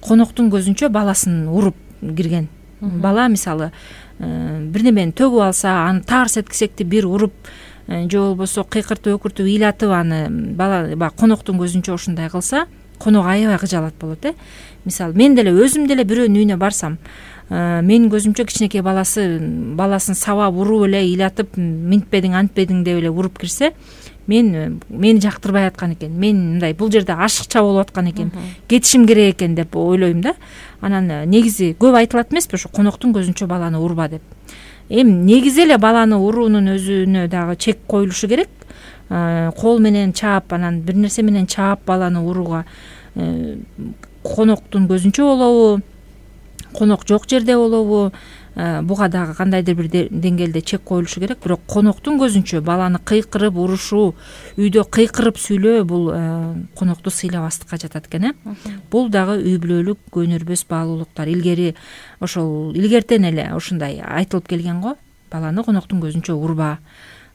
коноктун көзүнчө баласын уруп кирген бала, мисалы бир немени төгүп алса, аны таарс эткисекти бир уруп, же болбосо кыйкыртып өкүртүп ыйлатып аны бала коноктун көзүнчө ушундай кылса, конок аябай кыжалат болот. Мисалы мен деле өзүм деле бирөөнүн үйүнө барсам, менин көзүмчө кичинекей баласын сабап уруп эле ыйлатып, минтпедиң, антпедиң деп эле уруп кирсе, мени жактырбай аткан экен. Мен мындай бул жерде ашыкча болуп аткан экен, кетишим керек экен деп ойлойм да. Анан негизи көп айтылат эмеспи ошо коноктун көзүнчө баланы урба деп. Эми негизи эле баланы уруунун өзүнө дагы чек коюлушу керек. Кол менен чаап, анан бир нерсе менен чаап баланы урууга коноктун көзүнчө болобу, конок жок жерде болобу, буга дагы кандайдыр бир деңгээлде чек коюлушу керек. Бирок коноктун көзүнчө баланы кыйкырып урушуу, үйдө кыйкырып сүйлөө бул конокту сыйлабастыкка жатат экен. Бул дагы үй бүлөлүк өнөрбөс баалуулуктар. Илгери ошол илгертен эле ушундай айтылып келген го. Баланы коноктун көзүнчө урба,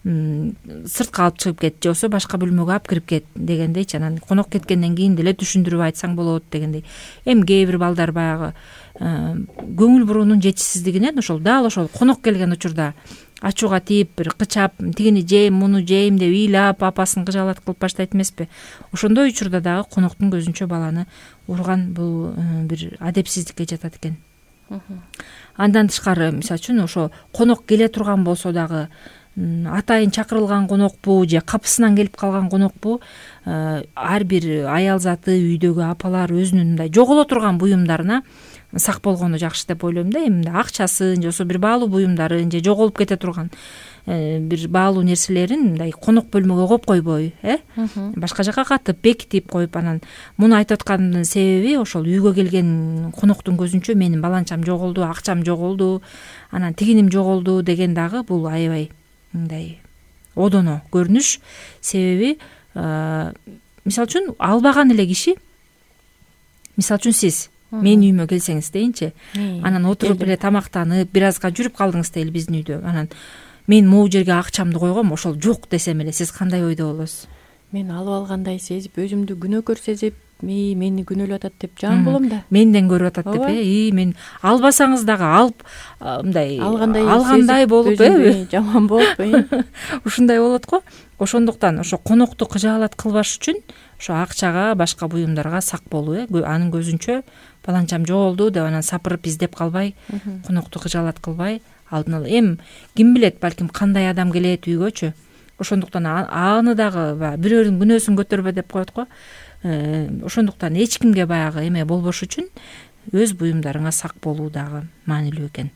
сыртка алып чыгып кет, же болбосо башка бөлмөгө алып кирип кет дегендейчи. Анан конок кеткенден кийин деле түшүндүрүп айтсаң болот дегендей. Эми кээ бир балдар баягы көңүл буруунун жетишсиздигинен ошол дал ошол конок келген учурда ачууга тийип, бир кычап, тигини жейм, муну жейм деп ыйлап, апасын кыжалат кылып баштайт эмеспи. Ошондой учурда дагы коноктун көзүнчө баланы урган бул бир адепсиздикке жатат экен. Андан тышкары, мисалы үчүн ошо конок келе турган болсо дагы, атайын чакырылган конокпу же капысынан келип калган конокпу, ар бир аял заты, үйдөгү апалар өзүнүн мындай жоголо турган буюмдарына сак болгону жакшы деп ойлойм да. Эми акчасын же болбосо бир баалуу буюмдарын же жоголуп кете турган бир баалуу нерселерин мындай конок бөлмөгө коюп койбой, башка жака катып бекитип коюп, анан муну айтып аткандын себеби ошол үйгө келген коноктун көзүнчө менин баланчам жоголду, акчам жоголду, анан тигиним жоголду деген дагы бул аябай мындай одоно көрүнүш. Себеби мисалы үчүн албаган эле киши, мисалы үчүн сиз менин үйүмө келсеңиз дейинчи, анан отуруп эле тамактанып бир азга жүрүп калдыңыз дейли биздин үйдө, анан мен могу жерге акчамды койгом, ошол жок десем эле сиз кандай ойдо болосуз? Мен алып алгандай сезип, өзүмдү күнөөкөр сезип, мени күнөөлөп атат деп жан болом да. Менден көрүп атат деп, мен албасаңыз дагы алып мындай алгандай болуп, жаман болуп, ушундай болот го. Ошондуктан ошо конокту кыжаалат кылбаш үчүн ошо акчага, башка буюмдарга сак болуу, анын көзүнчө баланчам жоголду деп анан сапырып издеп калбай, конокту кыжаалат кылбай, алдын ала. Эми ким билет, балким кандай адам келет үйгөчү. Ошондуктан аны дагы бирөөнүн күнөөсүн көтөрбө деп коет го. Ошондуктан эч кимге баягы эме болбош үчүн өз буюмдарыңа сак болуу дагы маанилүү экен.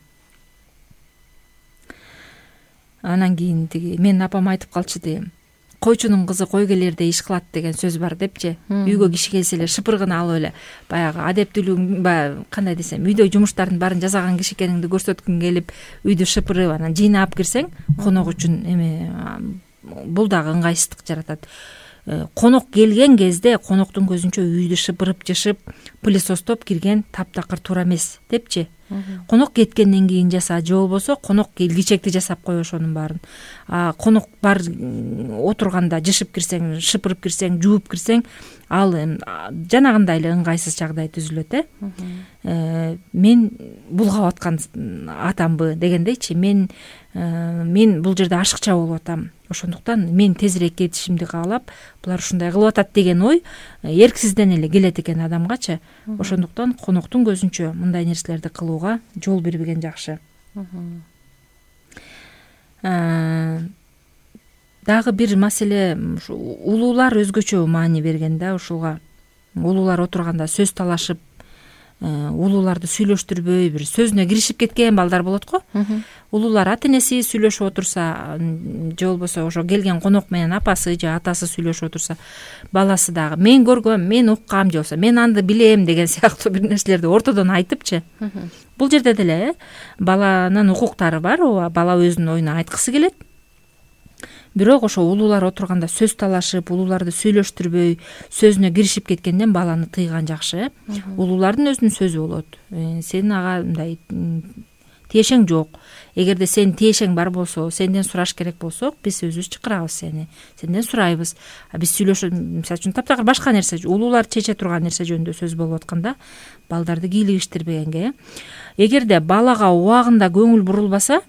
Анан кийин тиги менин апам айтып калчу дейм. койчунун кызы кой келердей иш кылат деген сөз бар депчи. Үйгө киши келсе эле шыпыргын алып эле баягы адептүүлүгүң баягы кандай десем үйдө жумуштардын баарын жасаган киши экениңди көрсөткүң келип үйдү шыпырып анан жыйнап кирсең конок үчүн эме бул дагы ыңгайсыздык жаратат. Конок келген кезде коноктун көзүнчө үйдү шыпырып жышып пылесостоп кирген таптакыр туура эмес депчи. Конок кеткенден кийин жаса же болбосо конок келгичекти жасап кой ошонун баарын. Конок бар отурганда жышып кирсең, шыпырып кирсең, жууп кирсең, ал жанагындай эле ыңгайсыз жагдай түзүлөт. Мен булгап аткан атамбы дегендейчи. Мен бул жерде ашыкча болуп атам. Ошондуктан мен тезирээк кетишимди каалап, булар ушундай кылып атат деген ой эрксизден эле келет экен адамгачы. Ошондуктан коноктун көзүнчө мындай нерселерди кылууга жол бербеген жакшы. Дагы бир маселе, улуулар өзгөчө маани берген да ушуга. Улуулар отурганда сөз талашып, улууларды сүйлөштүрбөй бир сөзүнө киришип кеткен балдар болот го. Улуулар ата-энеси сүйлөшүп отурса, же болбосо ошо келген конок менен апасы же атасы сүйлөшүп отурса, баласы дагы мен көргөм, мен уккам же болбосо мен аны билем деген сыяктуу бир нерселерди ортодон айтыпчы. Бул жерде деле баланын укуктары бар, ооба, бала өзүнүн оюн айткысы келет. Бирок ошо улуулар отурганда сөз талашып, улууларды сүйлөштүрбөй, сөзүнө киришип кеткенден баланы тыйган жакшы. Улуулардын өзүнүн сөзү болот. Сенин ага мындай тиешең жок. Эгерде сенин тиешең бар болсо, сенден сураш керек болсок, биз өзүбүз чакырабыз сени. Сенден сурайбыз. Биз сүйлөшөт, мисалы үчүн таптакыр башка нерсе, улуулар чече турган нерсе жөнүндө сөз болуп атканда, балдарды кийлигиштирбегенге. Эгерде балага убагында көңүл бурулбаса,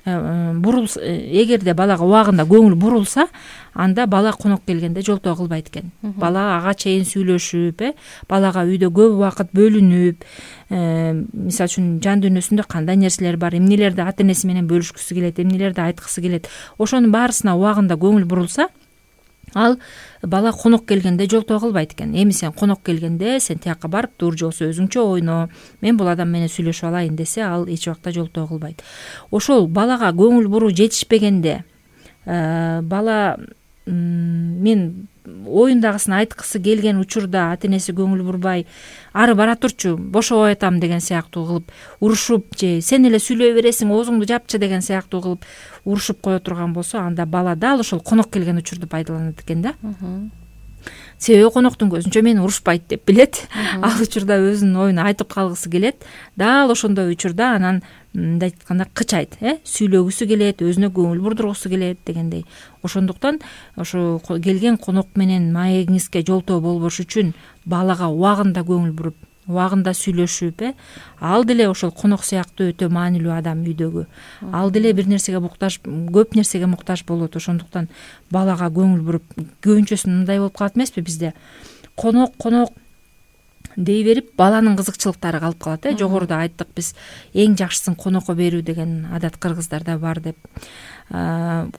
эгерде балага убагында көңүл бурулса, анда бала конок келгенде жолтоо кылбайт экен. Бала ага чейин сүйлөшүп, балага үйдө көп убакыт бөлүнүп, мисалы үчүн жан дүйнөсүндө кандай нерселер бар, эмнелерди ата-энеси менен бөлүшкүсү келет, эмнелерди айткысы келет, ошонун баарысына убагында көңүл бурулса, ал бала конок келгенде жолтоо кылбайт экен. Эми сен конок келгенде сен тияка барып тур, же болбосо өзүңчө ойно, мен бул адам менен сүйлөшүп алайын десе, ал эч убакта жолтоо кылбайт. Ошол балага көңүл буруу жетишпегенде, бала мен оюндагысын айткысы келген учурда ата-энеси көңүл бурбай, ары бара турчу, бошобой атам деген сыяктуу кылып урушуп, же сен эле сүйлөй бересиң, оозуңду жапчы деген сыяктуу кылып урушуп кое турган болсо, анда бала дал ошол конок келген учурду пайдаланат экен да. Себеби коноктун көзүнчө мени урушпайт деп билет. Ал учурда өзүнүн оюн айтып калгысы келет. Дал ошондой учурда анан мындай айтканда кычайт, сүйлөгүсү келет, өзүнө көңүл бурдургусу келет дегендей. Ошондуктан ошо келген конок менен маегиңизге жолтоо болбош үчүн балага убагында көңүл буруп, убагында сүйлөшүп, ал деле ошол конок сыяктуу өтө маанилүү адам үйдөгү. Ал деле бир нерсеге муктаж, көп нерсеге муктаж болот. Ошондуктан балага көңүл буруп, көбүнчөсү мындай болуп калат эмеспи бизде? Конок дей берип, баланын кызыкчылыктары калып калат. Жогоруда айттык биз, эң жакшысын конокко берүү деген адат кыргыздарда бар деп.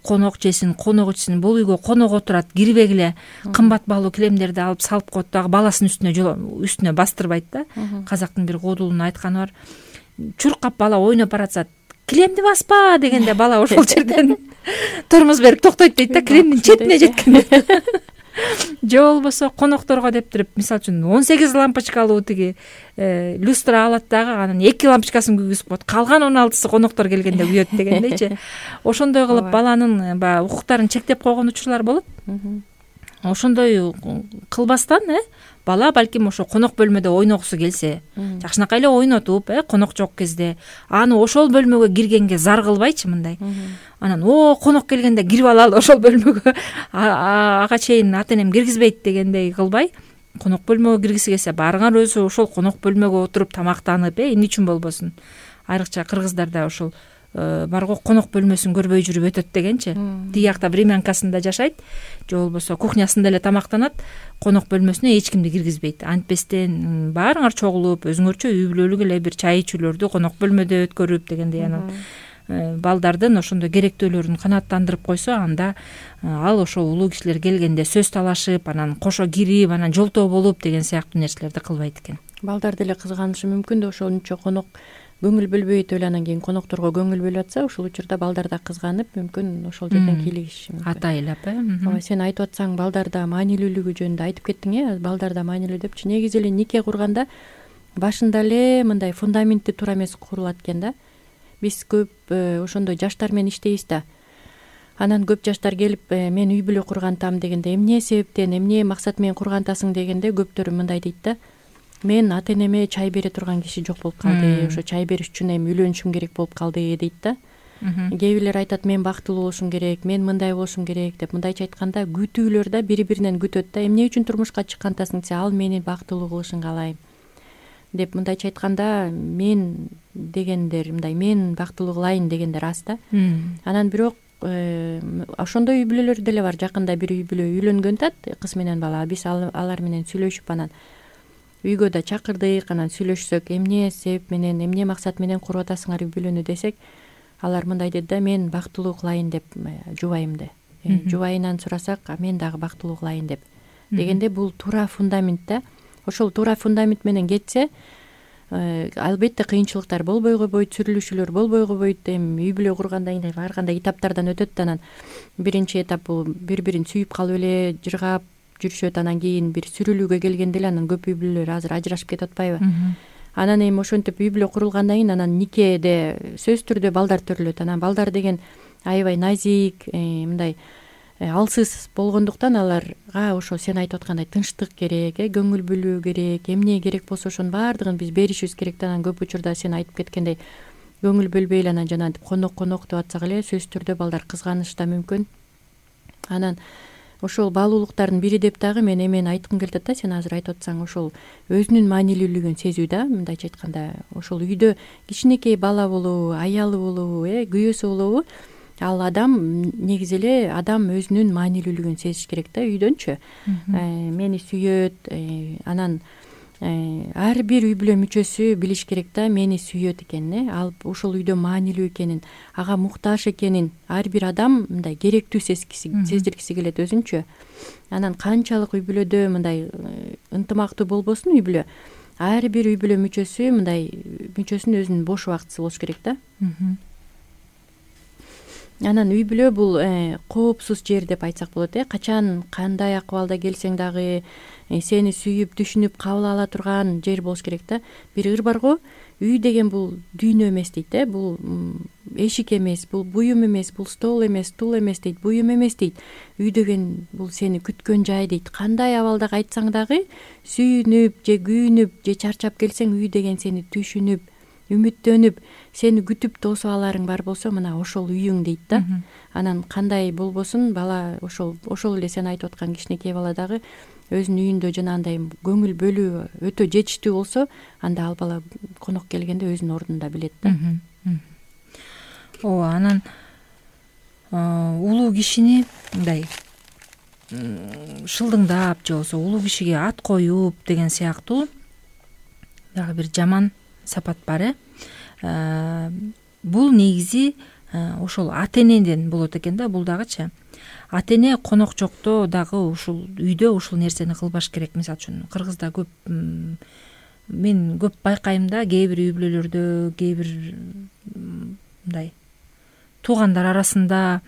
Конок жесин, конок ичсин, бул үйгө конок отурат, кирбегиле, кымбат баалуу килемдерди алып салып коет дагы баласынын үстүнө бастырбайт да. Казактын бир кодулунун айтканы бар. Чуркап бала ойноп баратса, килемди баспа дегенде бала ошол жерден тормоз берип токтойт дейт да, килемдин четине жеткенде. Же болбосо конокторго деп туруп, мисалы үчүн 18 лампочкалуу тиги люстра алат дагы, анан 2 лампочкасын күйгүзүп коет, калган 16сы коноктор келгенде күйөт дегендейчи. Ошондой кылып баланын баягы укуктарын чектеп койгон учурлар болот. Ошондой кылбастан, бала балким ошо конок бөлмөдө ойногусу келсе, жакшынакай эле ойнотуп, конок жок кезде аны ошол бөлмөгө киргенге зар кылбайчы мындай. Анан конок келгенде кирип алалы ошол бөлмөгө, ага чейин ата-энем киргизбейт дегендей кылбай, конок бөлмөгө киргиси келсе, баарыңар өзү ошол конок бөлмөгө отуруп тамактанып, эмне үчүн болбосун. Айрыкча кыргыздарда ошол бар го, конок бөлмөсүн көрбөй жүрүп өтөт дегенчи. Тиги жакта времянкасында жашайт, же болбосо кухнясында эле тамактанат, конок бөлмөсүнө эч кимди киргизбейт. Антпестен баарыңар чогулуп, өзүңөрчө үй бүлөлүк эле бир чай ичүүлөрдү конок бөлмөдө өткөрүп дегендей. Анан балдардын ошондой керектөөлөрүн канааттандырып койсо, анда ал ошо улуу кишилер келгенде сөз талашып, анан кошо кирип, анан жолтоо болуп деген сыяктуу нерселерди кылбайт экен. Балдар деле кызганышы мүмкүн да ошончо конок көңүл бөлбөйт, эле анан кийин конокторго көңүл бөлүп атса, ошол учурда балдар да кызганып, мүмкүн ошол жерден кийлигиши мүмкүн. Атайлап ооба, сен айтып атсаң балдарда маанилүүлүгү жөнүндө айтып кеттиң, балдарда маанилүү депчи. Негизи эле нике курганда башында эле мындай фундаментти туура эмес курулат экен да. Биз көп ошондой жаштар менен иштейбиз да. Анан көп жаштар келип, мен үй бүлө кургантам дегенде, эмне себептен, эмне максат менен кургантасың дегенде, көптөр мындай дейт да: мен ата энеме чай бере турган киши жок болуп калды, ошо чай бериш үчүн эми үйлөнүшүм керек болуп калды дейт да. Кээ бирлер айтат, мен бактылуу болушум керек, мен мындай болушум керек деп. Мындайча айтканда, күтүүлөр да бири-биринен күтөт да. Эмне үчүн турмушка чыккантасың десе, ал мени бактылуу кылышын каалайм деп. Мындайча айтканда, мен дегендер, мындай мен бактылуу кылайын дегендер аз да. Анан бирок ошондой үй бүлөлөр деле бар. Жакында бир үй бүлө үйлөнгөн атат, кыз менен бала. Биз алар менен сүйлөшүп, анан үйгө да чакырдык, анан сүйлөшсөк, эмне себеп менен, эмне максат менен куруп атасыңар үй бүлөнү десек, алар мындай деди да: мен бактылуу кылайын деп жубайымды. Жубайынан сурасак, мен дагы бактылуу кылайын деп. Дегенде бул туура фундамент да. Ошол туура фундамент менен кетсе, албетте кыйынчылыктар болбой койбойт, сүрүлүшүүлөр болбой койбойт. Эми үй бүлө кургандан кийин ар кандай этаптардан өтөт. Анан биринчи этап бул бири-бирин сүйүп калып эле жыргап жүрүшөт. Анан кийин бир сүрүлүүгө келгенде эле анан көп үй бүлөлөр азыр ажырашып кетип атпайбы? Анан эми ошентип үй бүлө курулгандан кийин анан никеде сөзсүз түрдө балдар төрөлөт. Анан балдар деген аябай назик, мындай алсыз болгондуктан аларга ошо сен айтып аткандай тынчтык керек, көңүл бөлүү керек, эмне керек болсо ошонун баардыгын биз беришибиз керек да. Анан көп учурда сен айтып кеткендей көңүл бөлбөй эле анан жанагынтип конок деп атсак эле, сөзсүз түрдө балдар кызганышы да мүмкүн. Анан ошол баалуулуктардын бири деп дагы мен эмени айткым келип атат да. Сен азыр айтып атсаң, ошол өзүнүн маанилүүлүгүн сезүү да. Мындайча айтканда, ошол үйдө кичинекей бала болобу, аялы болобу, күйөөсү болобу, ал адам негизи эле адам өзүнүн маанилүүлүгүн сезиш керек да үйдөнчү. Мени сүйөт, анан ар бир үй бүлө мүчөсү билиш керек да, мени сүйөт экен, ал ошол үйдө маанилүү экенин, ага муктаж экенин ар бир адам мындай керектүү сездиргиси келет өзүнчү. Анан канчалык үй бүлөдө мындай ынтымактуу болбосун үй бүлө, ар бир үй бүлө мүчөсү мындай мүчөсүнүн өзүнүн бош убактысы болуш керек да. Анан үй бүлө бул коопсуз жер деп айтсак болот. Качан кандай акыбалда келсең дагы сени сүйүп, түшүнүп кабыл ала турган жер болуш керек да. Бир ыр бар го, үй деген бул дүйнө эмес дейт, бул эшик эмес, бул буюм эмес, бул стол эмес, стул эмес дейт, буюм эмес дейт. Үй деген бул сени күткөн жай дейт. Кандай абалда кайтсаң дагы сүйүнүп же күйүнүп же чарчап келсең, үй деген сени түшүнүп, үмүттөнүп, сени күтүп тосуп аларың бар болсо, мына ошол үйүң дейт да. Анан кандай болбосун, бала ошол эле сен айтып аткан кичинекей бала дагы өзүнүн үйүндө жанагындай көңүл бөлүү өтө жетиштүү болсо, анда ал бала конок келгенде өзүнүн ордунда билет да. Ооба, анан улуу кишини мындай шылдыңдап же болбосо улуу кишиге ат коюп деген сыяктуу дагы бир жаман сапат бар. Бул негизи ошол ата энеден болот экен да. Бул дагычы ата эне конок жокто дагы ушул үйдө ушул нерсени кылбаш керек. Мисалы үчүн Кыргызда көп, мен көп байкайм да, кээ бир үй бүлөлөрдө, кээ бир мындай туугандар арасында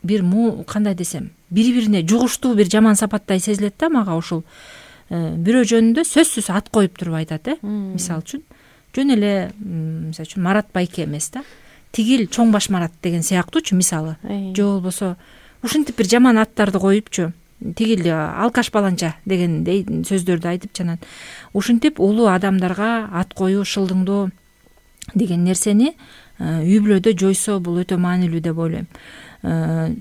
бир кандай десем, бири-бирине жугуштуу бир жаман сапаттай сезилет да. Мага ушул бирөө жөнүндө сөзсүз ат коюп туруп айтат. Мисалы үчүн жөн эле, мисалы үчүн Марат байке эмес да, тигил чоң баш Марат деген сыяктуучу мисалы. Же болбосо ушинтип бир жаман аттарды коюпчу, тигил алкаш баланча дегендей сөздөрдү айтып, жанан ушинтип улуу адамдарга ат коюу, шылдыңдоо деген нерсени үй бүлөдө жойсо, бул өтө маанилүү деп ойлойм.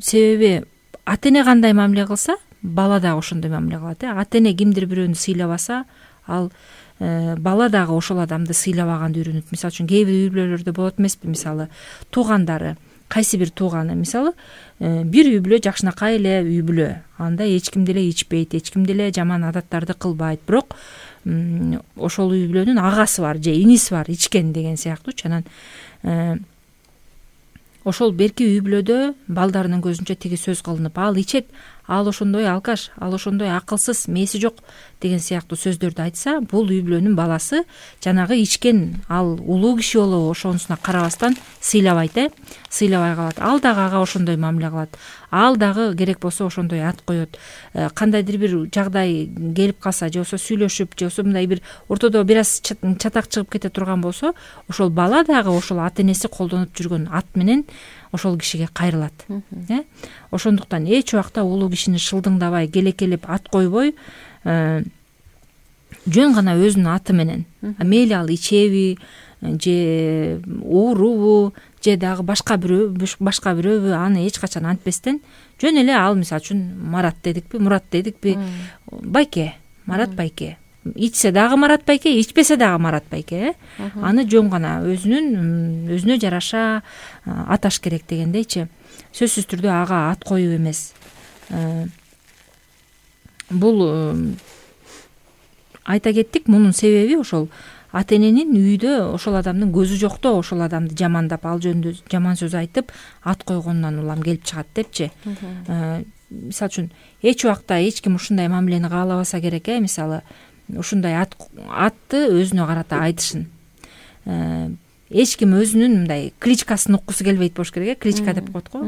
Себеби ата эне кандай мамиле кылса, бала дагы ошондой мамиле кылат. Ата эне кимдир бирөөнү сыйлабаса, ал бала дагы ошол адамды сыйлабаганды үйрөнөт. Мисалы үчүн кээ бир үй бүлөлөрдө болот эмеспи, мисалы туугандары, кайсы бир тууганы, мисалы бир үй бүлө жакшынакай эле үй бүлө, анда эч ким деле ичпейт, эч ким деле жаман адаттарды кылбайт, бирок ошол үй бүлөнүн агасы бар же иниси бар ичкен деген сыяктуучу. Анан ошол берки үй бүлөдө балдарынын көзүнчө тиги сөз кылынып, ал ичет, ал ошондой алкаш, ал ошондой акылсыз, мээси жок деген сыяктуу сөздөрдү айтса, бул үй бүлөнүн баласы жанагы ичкен ал улуу киши болобу ошонусуна карабастан сыйлабайт, сыйлабай калат. Ал дагы ага ошондой мамиле кылат, ал дагы керек болсо ошондой ат коет. Кандайдыр бир жагдай келип калса, же болбосо сүйлөшүп, же болбосо мындай бир ортодо бир аз чатак чыгып кете турган болсо, ошол бала дагы ошол ата энеси колдонуп жүргөн ат менен ошол кишиге кайрылат. Ошондуктан эч убакта улуу кишини шылдыңдабай, келекелеп ат койбой, жөн гана өзүнүн аты менен, мейли ал ичеби же уурубу же дагы башка бирөбү, аны эч качан антпестен жөн эле ал, мисалы үчүн Марат дедикпи, Мурат дедикпи, байке, Марат байке, ичсе дагы Марат байке, ичпесе дагы Марат байке, аны жөн гана өзүнө жараша аташ керек дегендейчи. Сөзсүз түрдө ага ат коюу эмес. Бул айта кеттик, мунун себеби ошол ата эненин үйдө ошол адамдын көзү жокто ошол адамды жамандап, ал жөнүндө жаман сөз айтып ат койгонунан улам келип чыгат депчи. Мисалы үчүн эч убакта эч ким ушундай мамилени каалабаса керек, мисалы ушундай атты өзүнө карата айтышын. Эч ким өзүнүн мындай кличкасын уккусу келбейт болуш керек, кличка деп коет го.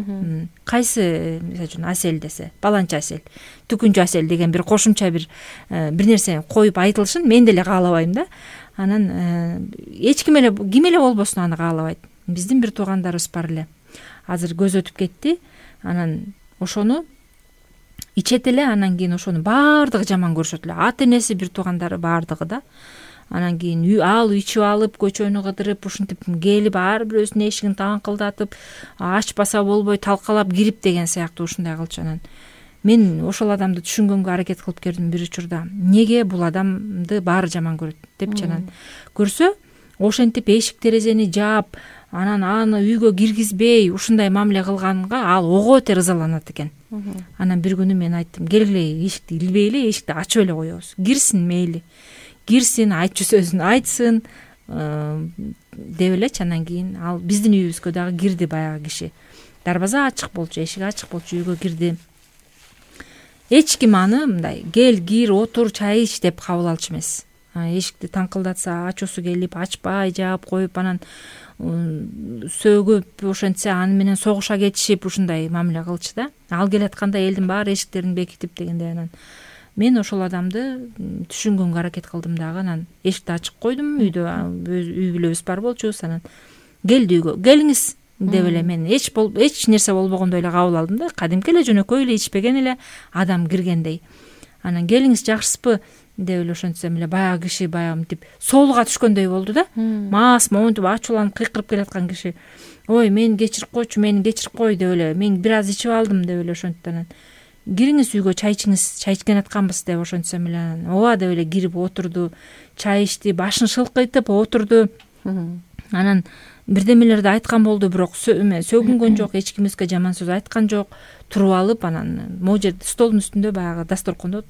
Кайсы, мисалы үчүн Асель десе, баланча Асель, Түкүнчү Асель деген бир кошумча бир нерсе коюп айтылышын мен деле каалабайм да. Анан эч ким эле болбосун аны каалабайт. Биздин бир туугандарыбыз бар эле. Азыр көз өтүп кетти. Анан ошону ичет эле, анан кийин ошону баардыгы жаман көрүшөт эле. Ата энеси, бир туугандары баардыгы да. Анан кийин ал ичип алып, көчөнү кыдырып, ушинтип келип, ар бирөөсүнүн эшигин таңкылдатып, ачпаса болбой талкалап кирип деген сыяктуу ушундай кылчу. Анан мен ошол адамды түшүнгөнгө аракет кылып көрдүм бир учурда. Неге бул адамды баары жаман көрөт депчи. Анан көрсө, ошентип эшик терезени жаап, анан аны үйгө киргизбей ушундай мамиле кылганга ал ого бетер ызаланат экен. Анан бир күнү мен айттым, келгиле эшикти илбейли, эшикти ачып эле коебуз. Кирсин мейли. Кирсин, айтчу сөзүн айтсын деп элечи. Анан кийин ал биздин үйүбүзгө дагы кирди баягы киши. Дарбаза ачык болчу, эшик ачык болчу, үйгө кирди. Эч ким аны мындай кел, кир, отур, чай ич деп кабыл алчу эмес. Эшикти таңкылдатса, ачуусу келип, ачпай жаап коюп, анан сөгүп, ошентсе аны менен согуша кетишип, ушундай мамиле кылчу да. Ал келатканда элдин баары эшиктерин бекитип дегендей. Анан мен ошол адамды түшүнгөнгө аракет кылдым дагы. Анан эшикти ачык койдум, үйдө үй бүлөбүз бар болчубуз. Анан келди үйгө, келиңиз деп эле мен эч нерсе болбогондой эле кабыл алдым да. Кадимки эле жөнөкөй эле ичпеген эле адам киргендей. Анан келиңиз, жакшысызбы деп эле ошентсем эле баягы киши баягы мынтип соолуга түшкөндөй болду да. Маас момунтип ачууланып кыйкырып келаткан киши, ой мени кечирип койчу, мени кечирип кой деп эле, мен бир аз ичип алдым деп эле ошентти. Анан кириңиз үйгө, чай ичиңиз, чай ичкен атканбыз деп ошентсем эле, ооба деп эле кирип отурду, чай ичти, башын шылкыйтып отурду. Анан бирдемелерди айткан болду, бирок сөгүнгөн жок, эч кимибизге жаман сөз айткан жок. Туруп алып, анан могу жерде столдун үстүндө баягы дасторкондо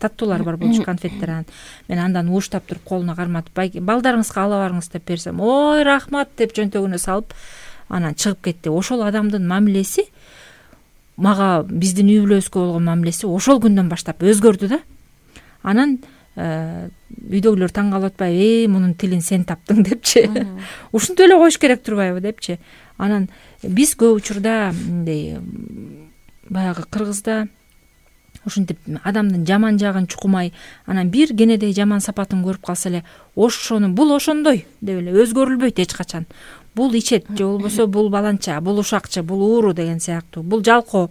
таттуулар бар болчу, конфеттер. Анан мен андан ууштап туруп колуна карматып, балдарыңызга ала барыңыз деп берсем, ой рахмат деп чөнтөгүнө салып анан чыгып кетти. Ошол адамдын мамилеси мага, биздин үй бүлөбүзгө болгон мамилеси ошол күндөн баштап өзгөрдү да. Анан үйдөгүлөр таң калып атпайбы, мунун тилин сен таптың депчи. Ушинтип эле коюш керек турбайбы депчи. Анан биз көп учурда мындай баягы Кыргызда ушинтип адамдын жаман жагын чукумай, анан бир кенедей жаман сапатын көрүп калса эле, ошону бул ошондой деп эле өзгөрүлбөйт эч качан. Бул ичет, же болбосо бул баланча, бул ушакчы, бул ууру деген сыяктуу, бул жалко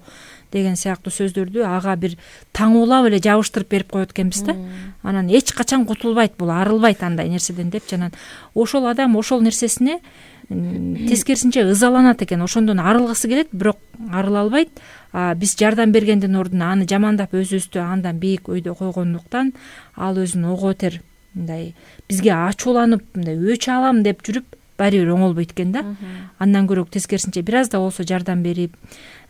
деген сыяктуу сөздөрдү ага бир таңуулап эле жабыштырып берип коет экенбиз да. Анан эч качан кутулбайт, бул арылбайт андай нерседен депчи. Анан ошол адам ошол нерсесине тескерисинче ызаланат экен, ошондон арылгысы келет, бирок арыла албайт. Биз жардам бергендин ордуна аны жамандап өзүбүздү андан бийик өйдө койгондуктан ал өзүн ого бетер мындай бизге ачууланып мындай өч алам деп жүрүп баары бир оңолбойт экен да. Андан көрө тескерисинче бир аз да болсо жардам берип,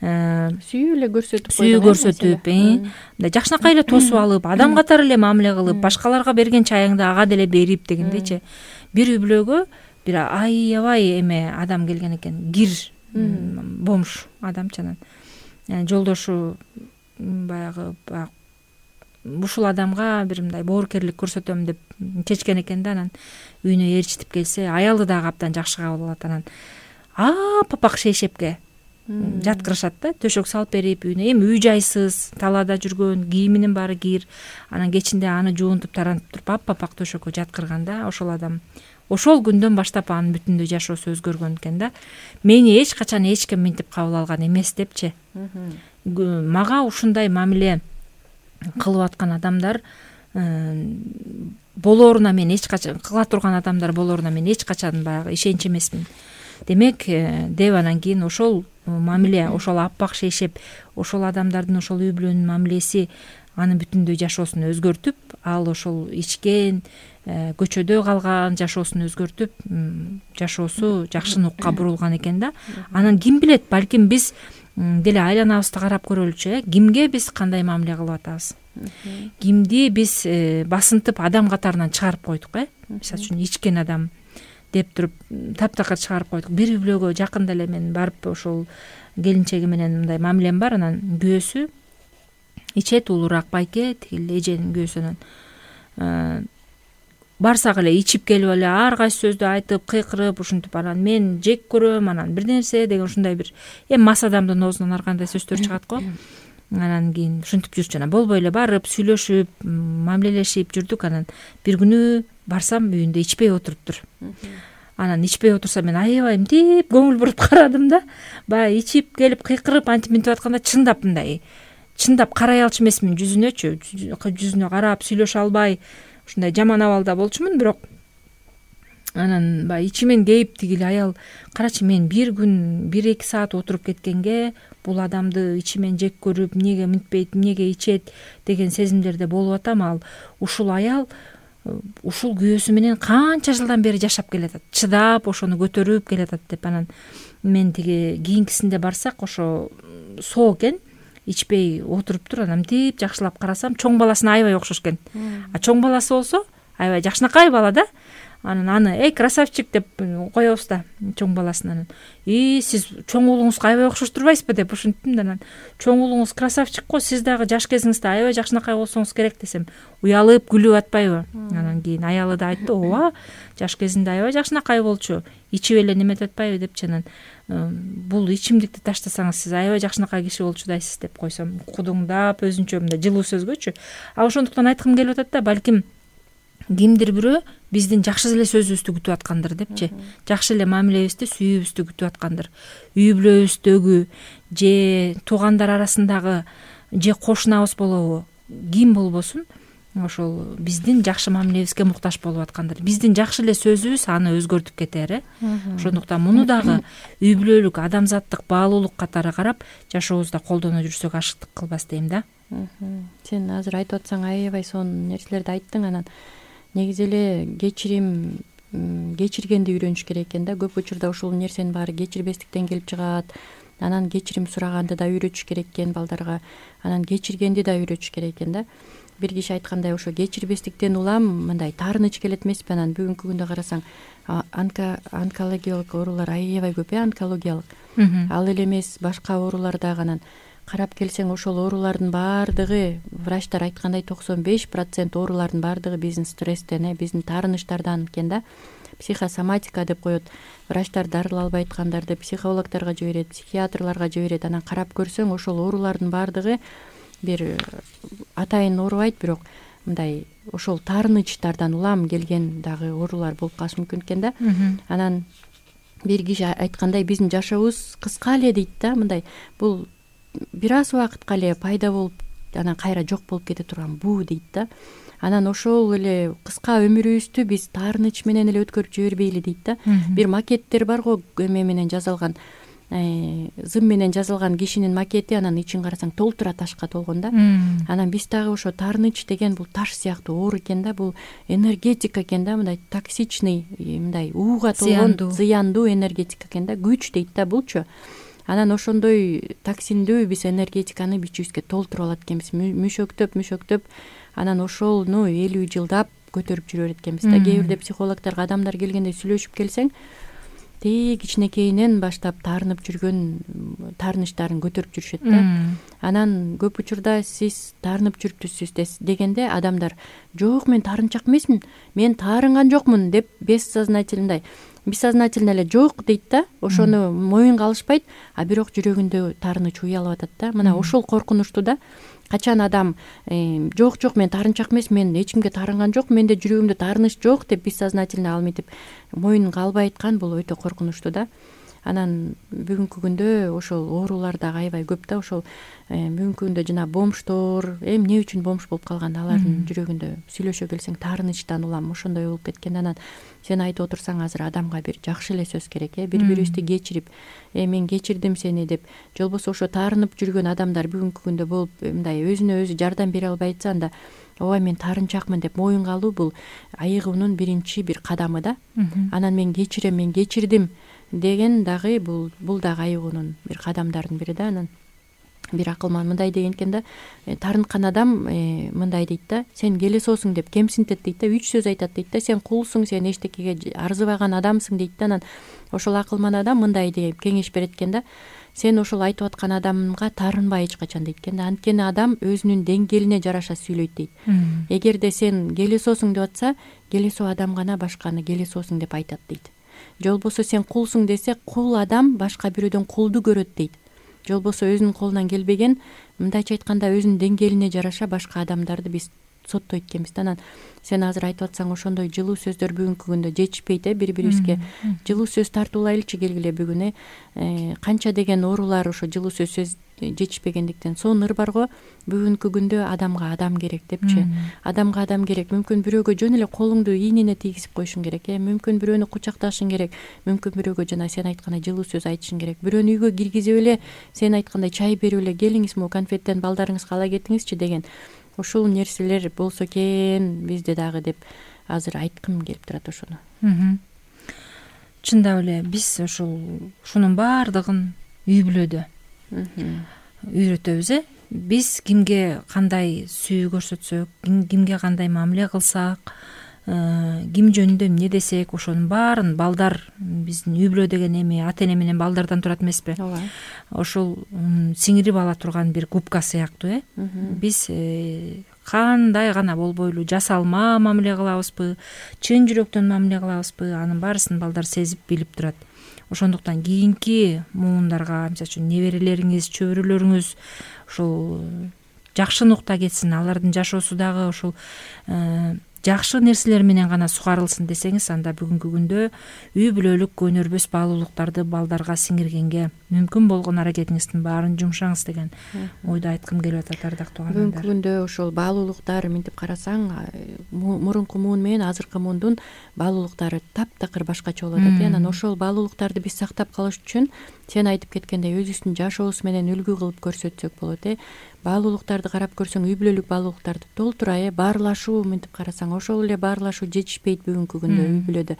сүйүү эле көрсөтүп, мындай жакшынакай эле тосуп алып, адам катары эле мамиле кылып, башкаларга берген чайыңды ага деле берип дегендейчи. Бир үй бүлөгө бир аябай эме адам келген экен, кир бомж адамчы. Анан жолдошу баягы ушул адамга бир мындай боорукерлик көрсөтөм деп чечкен экен да. Анан үйүнө ээрчитип келсе, аялы дагы абдан жакшы кабыл алат. Анан апак шейшепке жаткырышат да, төшөк салып берип үйүнө. Эми үй жайсыз, талаада жүргөн, кийиминин баары кир. Анан кечинде аны жуунтуп тарантып туруп апак төшөккө жаткырганда, ошол адам ошол күндөн баштап анын бүтүндөй жашоосу өзгөргөн экен да. Мени эч качан эч ким минтип кабыл алган эмес депчи. Мага ушундай мамиле кылып аткан адамдар болооруна мен эч качан, кыла турган адамдар болооруна мен эч качан баягы ишенч эмесмин. Демек, деп анан кийин ошол мамиле, ошол аппак шейшеп, ошол адамдардын, ошол үй бүлөнүн мамилеси анын бүтүндөй жашоосун өзгөртүп, ал ошол ичкен, көчөдө калган жашоосун өзгөртүп, жашоосу жакшыныкка бурулган экен да. Анан ким билет, балким биз деле айланабызды карап көрөлүчү, кимге биз кандай мамиле кылып атабыз, кимди биз басынтып адам катарынан чыгарып койдук, мисалы үчүн ичкен адам деп туруп таптакыр чыгарып койдук. Бир үй бүлөгө жакында эле мен барып, ошол келинчеги менен мындай мамилем бар. Анан күйөөсү ичет, улуураак байке, тигил эженин күйөөсүнөн барсак эле ичип келип эле ар кайсы сөздү айтып, кыйкырып, ушинтип анан мен жек көрөм, анан бир нерсе деген ушундай бир мас адамдын оозунан ар кандай сөздөр чыгат го. Анан кийин ушинтип жүрчү. Анан болбой эле барып, сүйлөшүп, мамилелешип жүрдүк. Анан бир күнү барсам, үйүндө ичпей отуруптур. Анан ичпей отурса, мен аябай мынтип көңүл буруп карадым да. Баягы ичип келип кыйкырып, антип мынтип атканда чындап карай алчу эмесмин жүзүнөчү. Жүзүнө карап сүйлөшө албай, ушундай жаман абалда болчумун. Бирок анан баягы ичимен кейип, тигил аял, карачы, мен бир күн 1-2 саат отуруп кеткенге бул адамды ичимен жек көрүп, эмнеге мынтпейт, эмнеге ичет деген сезимдерде болуп атам. Ал ушул аял ушул күйөөсү менен канча жылдан бери жашап келатат, чыдап ошону көтөрүп келатат деп. Анан мен тиги кийинкисинде барсак, ошо соо экен, ичпей отуруптур. Анан мынтип жакшылап карасам, чоң баласына аябай окшош экен. Чоң баласы болсо аябай жакшынакай бала да. Анан аны красавчик деп коебуз да, чоң баласын. Анан сиз чоң уулуңузга аябай окшош турбайсызбы деп ушинттим да. Анан чоң уулуңуз красавчик го, сиз дагы жаш кезиңизде аябай жакшынакай болсоңуз керек десем, уялып күлүп атпайбы? Анан кийин аялы да айтты, ооба, жаш кезинде аябай жакшынакай болчу, ичип эле неметип атпайбы депчи. Анан бул ичимдикти таштасаңыз, сиз аябай жакшынакай киши болчудайсыз деп койсом, кудуңдап өзүнчө мындай жылуу сөзгөчү. Ошондуктан айткым келип атат да, балким кимдир бирөө биздин жакшы эле сөзүбүздү күтүп аткандыр депчи. Жакшы эле мамилебизди, сүйүүбүздү күтүп аткандыр. Үй бүлөбүздөгү же туугандар арасындагы же кошунабыз болобу, ким болбосун, ошол биздин жакшы мамилебизге муктаж болуп аткандыр. Биздин жакшы эле сөзүбүз аны өзгөртүп кетер. Ошондуктан муну дагы үй бүлөлүк, адамзаттык баалуулук катары карап, жашообузда колдоно жүрсөк ашыктык кылбас дейм да. Сен азыр айтып атсаң, аябай сонун нерселерди айттың. Анан негизи эле кечиргенди үйрөнүш керек экен да. Көп учурда ушул нерсенин баары кечирбестиктен келип чыгат. Анан кечирим сураганды да үйрөтүш керек экен балдарга. Анан кечиргенди да үйрөтүш керек экен да. Бир киши айткандай, ошо кечирбестиктен улам мындай таарыныч келет эмеспи? Анан бүгүнкү күндө карасаң, онкологиялык оорулар аябай көп, онкологиялык. Ал эле эмес, башка оорулар дагы. Анан карап келсең, ошол оорулардын баардыгы, врачтар айткандай 95% оорулардын баардыгы биздин стресстен, биздин таарынычтардан экен да. Психосоматика деп коет. Врачтар дарылалбай айткандарды психологторго жиберет, психиатрларга жиберет. Анан карап көрсөң, ошол оорулардын баардыгы бир атайын оорубайт, бирок мындай ошол таарынычтардан улам келген дагы оорулар болуп калышы мүмкүн экен да. Анан бир киши айткандай, биздин жашообуз кыска эле дейт да. Мындай бул бир аз убакытка эле пайда болуп, анан кайра жок болуп кете турган буу дейт да. Анан ошол эле кыска өмүрүбүздү биз таарыныч менен эле өткөрүп жибербейли дейт да. Бир макеттер бар го, эме менен жазылган, зым менен жазылган кишинин макети, анан ичин карасаң толтура ташка толгон да. Анан биз дагы ошо таарыныч деген бул таш сыяктуу оор экен да, бул энергетика экен да, мындай токсичный, мындай ууга толгон зыяндуу энергетика экен да, күч дейт да булчу. Анан ошондой токсиндүү биз энергетиканы бичибизге толтуруп алат экенбиз, мөшөктөп, анан ошону 50 жылдап көтөрүп жүрө берет экенбиз да. Кээ бирде психологдорго адамдар келгенде сүйлөшүп келсең, тээ кичинекейинен баштап таарынып жүргөн таарынычтарын көтөрүп жүрүшөт да. Анан көп учурда сиз таарынып жүрүптүсүз дегенде адамдар жок, мен таарынчак эмесмин, мен таарынган жокмун деп бессознательно эле жок дейт да. Ошону моюнга алышпайт, а бирок жүрөгүндө таарыныч уялып атат да. Мына ошол коркунучтуу да. Качан адам жок, мен таарынчак эмес, мен эч кимге таарынган жок, менде жүрөгүмдө таарыныч жок деп бессознательно ал мынтип моюнга албай айткан, бул өтө коркунучтуу да. Анан бүгүнкү күндө ошол оорулар дагы аябай көп да. Ошол бүгүнкү күндө жана бомждор эмне үчүн бомж болуп калган, алардын жүрөгүндө сүйлөшө келсең таарынычтан улам ошондой болуп кеткен. Анан сен айтып отурсаң, азыр адамга бир жакшы эле сөз керек, бири бирибизди кечирип, мен кечирдим сени деп, же болбосо ошо таарынып жүргөн адамдар бүгүнкү күндө болуп мындай өзүнө өзү жардам бере албай атса, анда ооба мен таарынчакмын деп моюнга алуу бул айыгуунун биринчи бир кадамы да. Анан мен кечирем, мен кечирдим деген дагы бул дагы айыгуунун бир кадамдардын бири да. Анан бир акылман мындай деген экен да, таарынткан адам мындай дейт да, сен келесоосуң деп кемсинтет дейт да, 3 сөз айтат дейт да, сен кулсуң, сен эчтекеге арзыбаган адамсың дейт да. Анан ошол акылман адам мындай деп кеңеш берет экен да, сен ошол айтып аткан адамга таарынба эч качан дейт экен да. Анткени адам өзүнүн деңгээлине жараша сүйлөйт дейт. Эгерде сен келесоосуң деп атса, келесоо адам гана башканы келесоосуң деп айтат дейт. Же болбосо сен кулсуң десе, кул адам башка бирөөдөн кулду көрөт дейт. Же болбосо өзүнүн колунан келбеген, мындайча айтканда өзүнүн деңгээлине жараша башка адамдарды биз соттойт экенбиз да. Анан сен азыр айтып атсаң, ошондой жылуу сөздөр бүгүнкү күндө жетишпейт, бири бирибизге жылуу сөз тартуулайлычы келгиле бүгүн. Канча деген оорулар ошо жылуу сөз жетишпегендиктен. Сонун ыр бар го, бүгүнкү күндө адамга адам керек депчи. Адамга адам керек. Мүмкүн бирөөгө жөн эле колуңду ийнине тийгизип коюшуң керек, мүмкүн бирөөнү кучакташың керек, мүмкүн бирөөгө жана сен айткандай жылуу сөз айтышың керек. Бирөөнү үйгө киргизип эле сен айткандай чай берип эле, келиңиз могу конфеттен балдарыңызга ала кетиңизчи деген ушул нерселер болсо экен бизде дагы деп азыр айткым келип турат ошону. Чындап эле биз ушунун баардыгын үй бүлөдө үйрөтөбүз. Биз кимге кандай сүйүү көрсөтсөк, кимге кандай мамиле кылсак, ким жөнүндө эмне десек, ошонун баарын балдар, биздин үй бүлө деген эми ата эне менен балдардан турат эмеспи? Ошол сиңирип ала турган бир губка сыяктуу. Биз кандай гана болбойлу жасалма мамиле кылабызбы, чын жүрөктөн мамиле кылабызбы, анын баарысын балдар сезип билип турат. Ошондуктан кийинки муундарга, мисалы үчүн неберелериңиз, чөбүрөлөрүңүз ушул жакшы нукта кетсин, алардын жашоосу дагы ушул жакшы нерселер менен гана сугарылсын десеңиз, анда бүгүнкү күндө үй бүлөлүк өнөрбөс баалуулуктарды балдарга сиңиргенге мүмкүн болгон аракетиңиздин баарын жумшаңыз деген ойду айткым келип атат, ардактуу угармандар. Бүгүнкү күндө ошол баалуулуктар мынтип карасаң, мурунку муун менен азыркы муундун баалуулуктары таптакыр башкача болуп атат. Анан ошол баалуулуктарды биз сактап калыш үчүн сен айтып кеткендей өзүбүздүн жашообуз менен үлгү кылып көрсөтсөк болот. Баалуулуктарды карап көрсөң, үй бүлөлүк баалуулуктарды толтура, баарлашуу мынтип карасаң, ошол эле баарлашуу жетишпейт бүгүнкү күндө үй бүлөдө.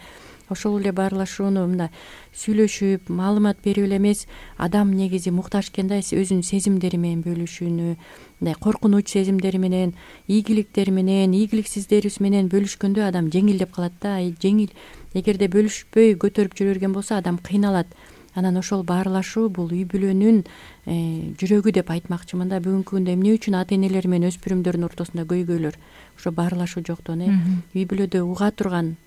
Ошол эле баарлашууну мындай сүйлөшүп, маалымат берип эле эмес, адам негизи муктаж экен да, өзүнүн сезимдери менен бөлүшүүнү, мындай коркунуч сезимдери менен, ийгиликтери менен, ийгиликсиздери менен бөлүшкөндө адам жеңилдеп калат да. Жеңил. Эгерде бөлүшпөй көтөрүп жүрө берген болсо, адам кыйналат. Анан ошол баарлашуу бул үй бүлөнүн жүрөгү деп айтмакчымын да. Бүгүнкү күндө эмне үчүн ата энелер менен өспүрүмдөрдүн ортосунда көйгөйлөр? Ошо баарлашуу жоктон. Үй бүлөдө уга турган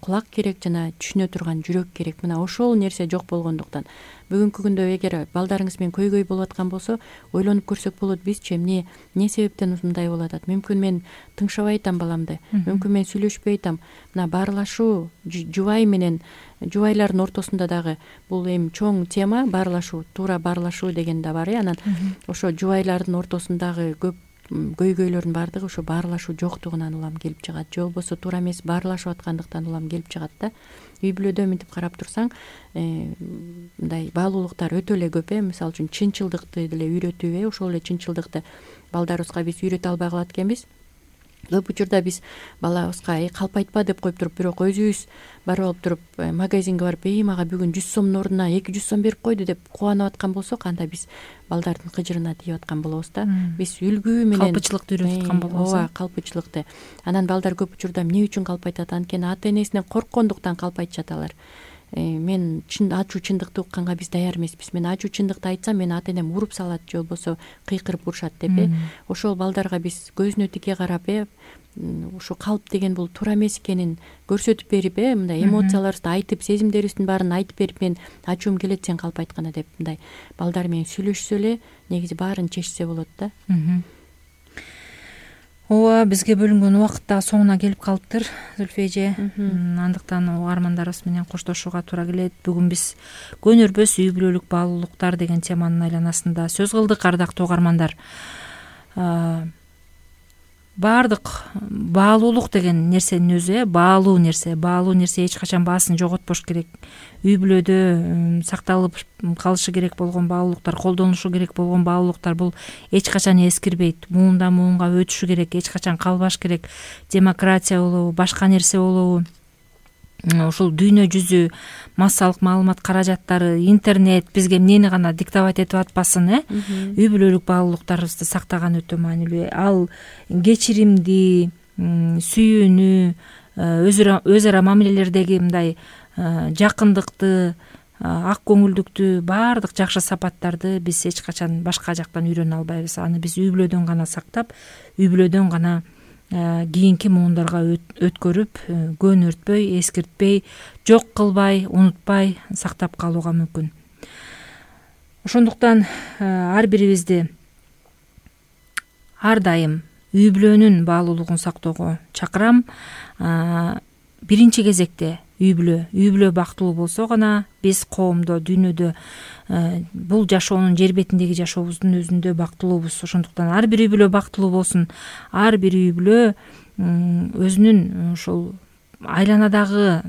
кулак керек жана түшүнө турган жүрөк керек. Мына ошол нерсе жок болгондуктан бүгүнкү күндө эгер балдарыңыз менен көйгөй болуп аткан болсо, ойлонуп көрсөк болот, бизчи эмне себептен мындай болуп атат? Мүмкүн мен тыңшабай атам баламды, мүмкүн мен сүйлөшпөй атам. Мына баарлашуу жубай менен жубайлардын ортосунда дагы бул эми чоң тема, баарлашуу, туура баарлашуу деген да бар. Анан ошо жубайлардын ортосундагы көп көйгөйлөрдүн баардыгы ошо баарлашуу жоктугунан улам келип чыгат, же болбосо туура эмес баарлашып аткандыктан улам келип чыгат да. Үй бүлөдө мынтип карап турсаң, мындай баалуулуктар өтө эле көп. Мисалы үчүн чынчылдыкты деле үйрөтүү, ошол эле чынчылдыкты балдарыбызга биз үйрөтө албай калат экенбиз. Көп учурда биз балабызга калпайтпа деп коюп туруп, бирок өзүбүз барып алып туруп магазинге барып, мага бүгүн 100 сомдун ордуна 200 сом берип койду деп кубанып аткан болсок, анда биз балдардын кыжырына тийип аткан болобуз да. Биз үлгү менен калпычылыкты үйрөтүп аткан болобуз. Ооба, калпычылыкты. Анан балдар көп учурда эмне үчүн калпайтат? Анткени ата энесинен корккондуктан калпайтышат алар. мен ачуу чындыкты укканга биз даяр эмеспиз, мен ачуу чындыкты айтсам мени ата энем уруп салат же болбосо кыйкырып урушат деп ошол балдарга биз көзүнө тике карап ушу калп деген бул туура эмес экенин көрсөтүп берип мындай эмоцияларыбызды айтып, сезимдерибиздин баарын айтып берип, мен ачуум келет сен калп айтканда деп мындай балдар менен сүйлөшсө эле негизи баарын чечсе болот да. ооба, бизге бөлүнгөн убакыт да соңуна келип калыптыр, Зүлфия эже. Андыктан угармандарыбыз менен коштошууга туура келет. Бүгүн биз көнөрбөс үй бүлөлүк баалуулуктар деген теманын айланасында сөз кылдык, ардактуу угармандар. Баардык баалуулук деген нерсенин өзү баалуу нерсе эч качан баасын жоготпош керек. Үй бүлөдө сакталып калышы керек болгон баалуулуктар, колдонулушу керек болгон баалуулуктар бул эч качан эскирбейт. Муундан муунга өтүшү керек, эч качан калбаш керек. Демократия болобу, башка нерсе болобу, ушул дүйнө жүзү массалык маалымат каражаттары, интернет бизге эмнени гана диктовать этип атпасын, үй бүлөлүк баалуулуктарыбызды сактаган өтө маанилүү. Ал кечиримди, сүйүүнү, өз ара мамилелердеги мындай жакындыкты, ак көңүлдүктү, баардык жакшы сапаттарды биз эч качан башка жактан үйрөнө албайбыз. Аны биз үй бүлөдөн гана сактап, үй бүлөдөн гана кийинки муундарга өткөрүп, көнөртпөй, эскиртпей, жок кылбай, унутпай сактап калууга мүмкүн. Ошондуктан ар бирибизди ар дайым үй бүлөнүн баалуулугун сактоого чакырам. Биринчи кезекте үй бүлө бактылуу болсо гана биз коомдо, дүйнөдө бул жашоонун жер бетиндеги жашообуздун өзүндө бактылуубуз. Ошондуктан ар бир үй бүлө бактылуу болсун. Ар бир үй бүлө өзүнүн ушул айланадагы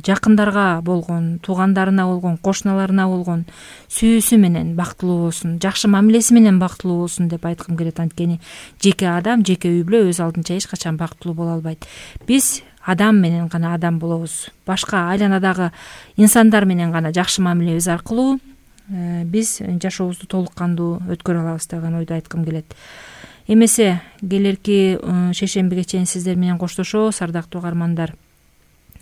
жакындарга болгон, туугандарына болгон, кошуналарына болгон сүйүүсү менен бактылуу болсун, жакшы мамилеси менен бактылуу болсун деп айткым келет. Анткени жеке адам, жеке үй бүлө өз алдынча эч качан бактылуу боло албайт. Биз адам менен гана адам болобуз. Башка айланадагы инсандар менен гана жакшы мамилебиз аркылуу биз жашообузду толук кандуу өткөрө алабыз деген ойду айткым келет. Эмесе келерки шейшембиге чейин сиздер менен коштошобуз, ардактуу угармандар.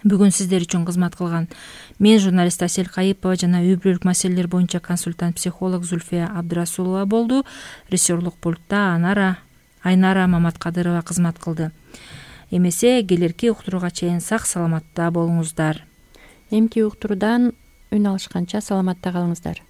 Бүгүн сиздер үчүн кызмат кылган мен журналист Асель Кайыпова жана үй бүлөлүк маселелер боюнча консультант психолог Зүлфия Абдырасулова болду. Режиссерлук пультта Айнара Маматкадырова кызмат кылды. Эмесе келерки уктурууга чейин сак саламатта болуңуздар. Эмки уктуруудан үн алышканча саламатта калыңыздар.